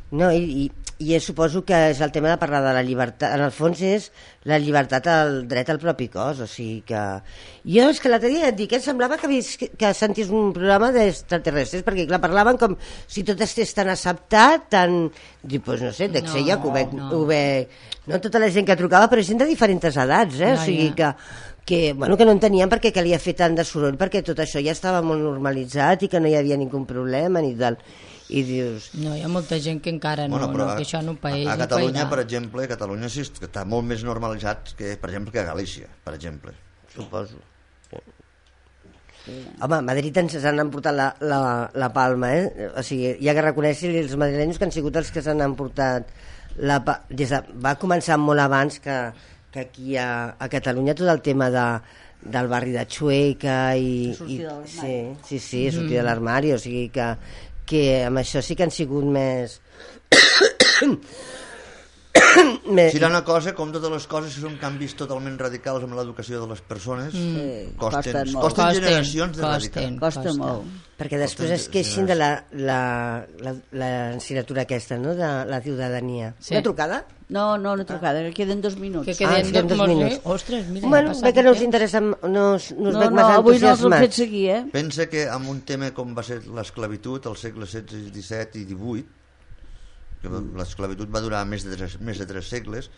No, i, i, i suposo que és el tema de parlar de la llibertat. En el fons és la llibertat al dret al propi cos, o sigui que... Jo és que l'altre dia et dic, em semblava que, vis, que, que sentis un programa d'extraterrestres, perquè clar, parlaven com si tot estigués tan acceptat, tan... Dic, doncs no sé, dec ser No, jo que ho veig... no. Ho veig... No tota la gent que trucava, però gent de diferents edats, eh? Ja, o sigui ja. que... que, bueno, que no entenien per què calia fer tant de soroll, perquè tot això ja estava molt normalitzat i que no hi havia ningú problema ni tal. I dius... No, hi ha molta gent que encara no, Bueno, però no que això no paeix. a, a no Catalunya, pairà. per exemple, a Catalunya sí que està molt més normalitzat que, per exemple, que a Galícia, per exemple. Suposo. Home, a Madrid ens han emportat la, la, la palma, eh? O sigui, hi ha que reconèixer els madrilenys que han sigut els que s'han emportat la pa... Des de... Va començar molt abans que, que aquí a, a Catalunya tot el tema de, del barri de Chueca i... Sortir i de l'armari. sí, sí, sí, sortir mm. de l'armari, o sigui que, que amb això sí que han sigut més... més... Si hi ha una cosa, com totes les coses, si són canvis totalment radicals amb l'educació de les persones, Mm. costen, Costen molt. costen, Costen, generacions de costen. radicar. Costa Costa. molt. Perquè després es queixin de la, la, la, la assignatura aquesta, no?, de la ciutadania. Sí. Una trucada? No, no, una trucada, que queden dos minuts. Que Ah, queden queden dos, dos minuts. minuts. Ostres, mira, Bueno, ha passat bé que no un us temps. interessa, no us, no us No, veig no, massa avui no els hem fet entusiasmats. seguir, eh? Pensa que amb un tema com va ser l'esclavitud al segle setze, disset i divuit, que l'esclavitud va durar més de tres, més de tres segles,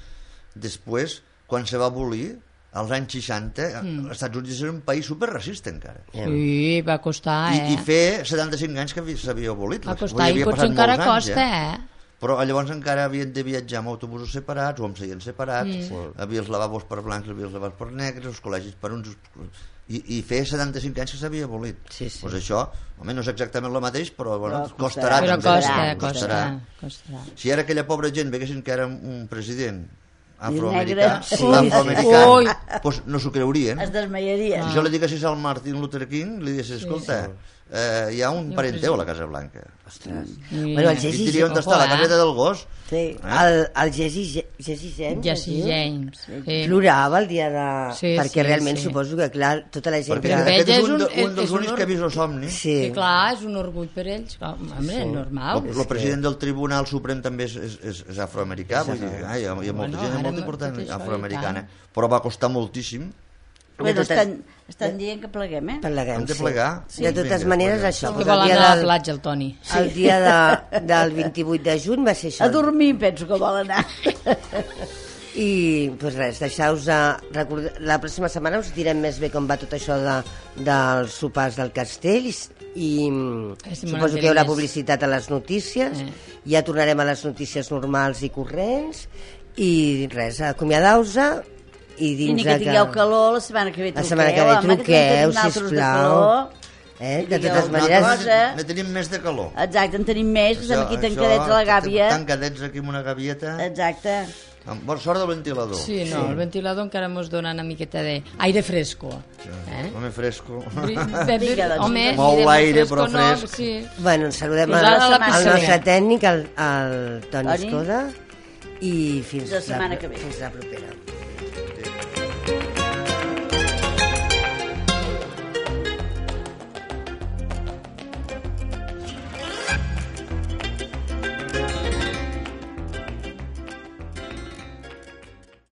després, quan se va abolir, als anys seixanta, mm. els Estats Units era un país superracista encara. Sí, va costar, eh? I, I fer setanta-cinc anys que s'havia abolit. Va Vull costar, dir, i havia potser passat encara molts anys, costa, eh? Però llavors encara havien de viatjar amb autobusos separats o amb seients separats, mm. havia els lavabos per blancs, havia els lavabos per negres, els col·legis per uns... I, i fer setanta-cinc anys que s'havia abolit. Sí, sí. Pues això, home, no és exactament el mateix, però, bueno, Però costarà. Però també, costa, costarà. costa, costa. Si ara aquella pobra gent veguessin que era un president negre. afroamericà, Sí, afroamericà, Ui. pues no s'ho creurien. Es desmaiaria. Si jo li diguessis al Martin Luther King, li diguessis, escolta, eh, hi ha un parent teu a la Casa Blanca. Ostres. I- Bueno, el I Jesse, diria on està, la Ojo, eh? caseta del gos. Sí. el, el Jesse, Jesse James, Jesse es diu? James. Sí. Plorava el dia de... Sí, perquè sí, realment sí. suposo que, clar, tota la gent... Perquè que... per aquest ell és és un, de, un- un dels és un únics que ha vist el somni. Sí. Sí, clar, és un orgull per ells. Home, sí. normal. El, el president del Tribunal Suprem també és, és, és, és afroamericà, vull dir, ah, hi, ha, hi ha molta Bueno, gent ara molt tot important això, i afroamericana, tant. però va costar moltíssim. Bueno, totes- estan, estan dient que pleguem, eh? Pleguem, Hem de sí. plegar. Sí. De totes Vinga, maneres, pleguem. això... Que doncs, vol el dia anar a la del- platja, el Toni. El dia de, del vint-i-vuit de juny va ser això. A dormir, penso que vol anar. I pues res, deixeu-vos de recordar, la pròxima setmana us direm més bé com va tot això de, dels sopars del castell i, i Estem suposo que hi haurà més. publicitat a les notícies, Eh. ja tornarem a les notícies normals i corrents i res, acomiadeu-vos i I dins ni de que tingueu calor, la setmana que ve la truqueu. setmana que ve home, que truqueu, tenim nosaltres de sisplau. calor. Eh? I De digueu totes una maneres, cosa. Ne tenim més de calor. Exacte, en tenim més, que estem aquí tancadets a la gàbia. Tancadets aquí amb una gavieta. Exacte. Amb bona sort del ventilador. Sí, no, el ventilador encara mos dona una miqueta d'aire fresco. Eh? Home fresco. Vinga, doncs, home, Mou ni de l'aire, fresco però no, fresc. Sí. bueno, saludem Fins el, ara la el piscina. nostre tècnic, el, el Toni Toni. Escoda, i fins La setmana que ve. fins la propera.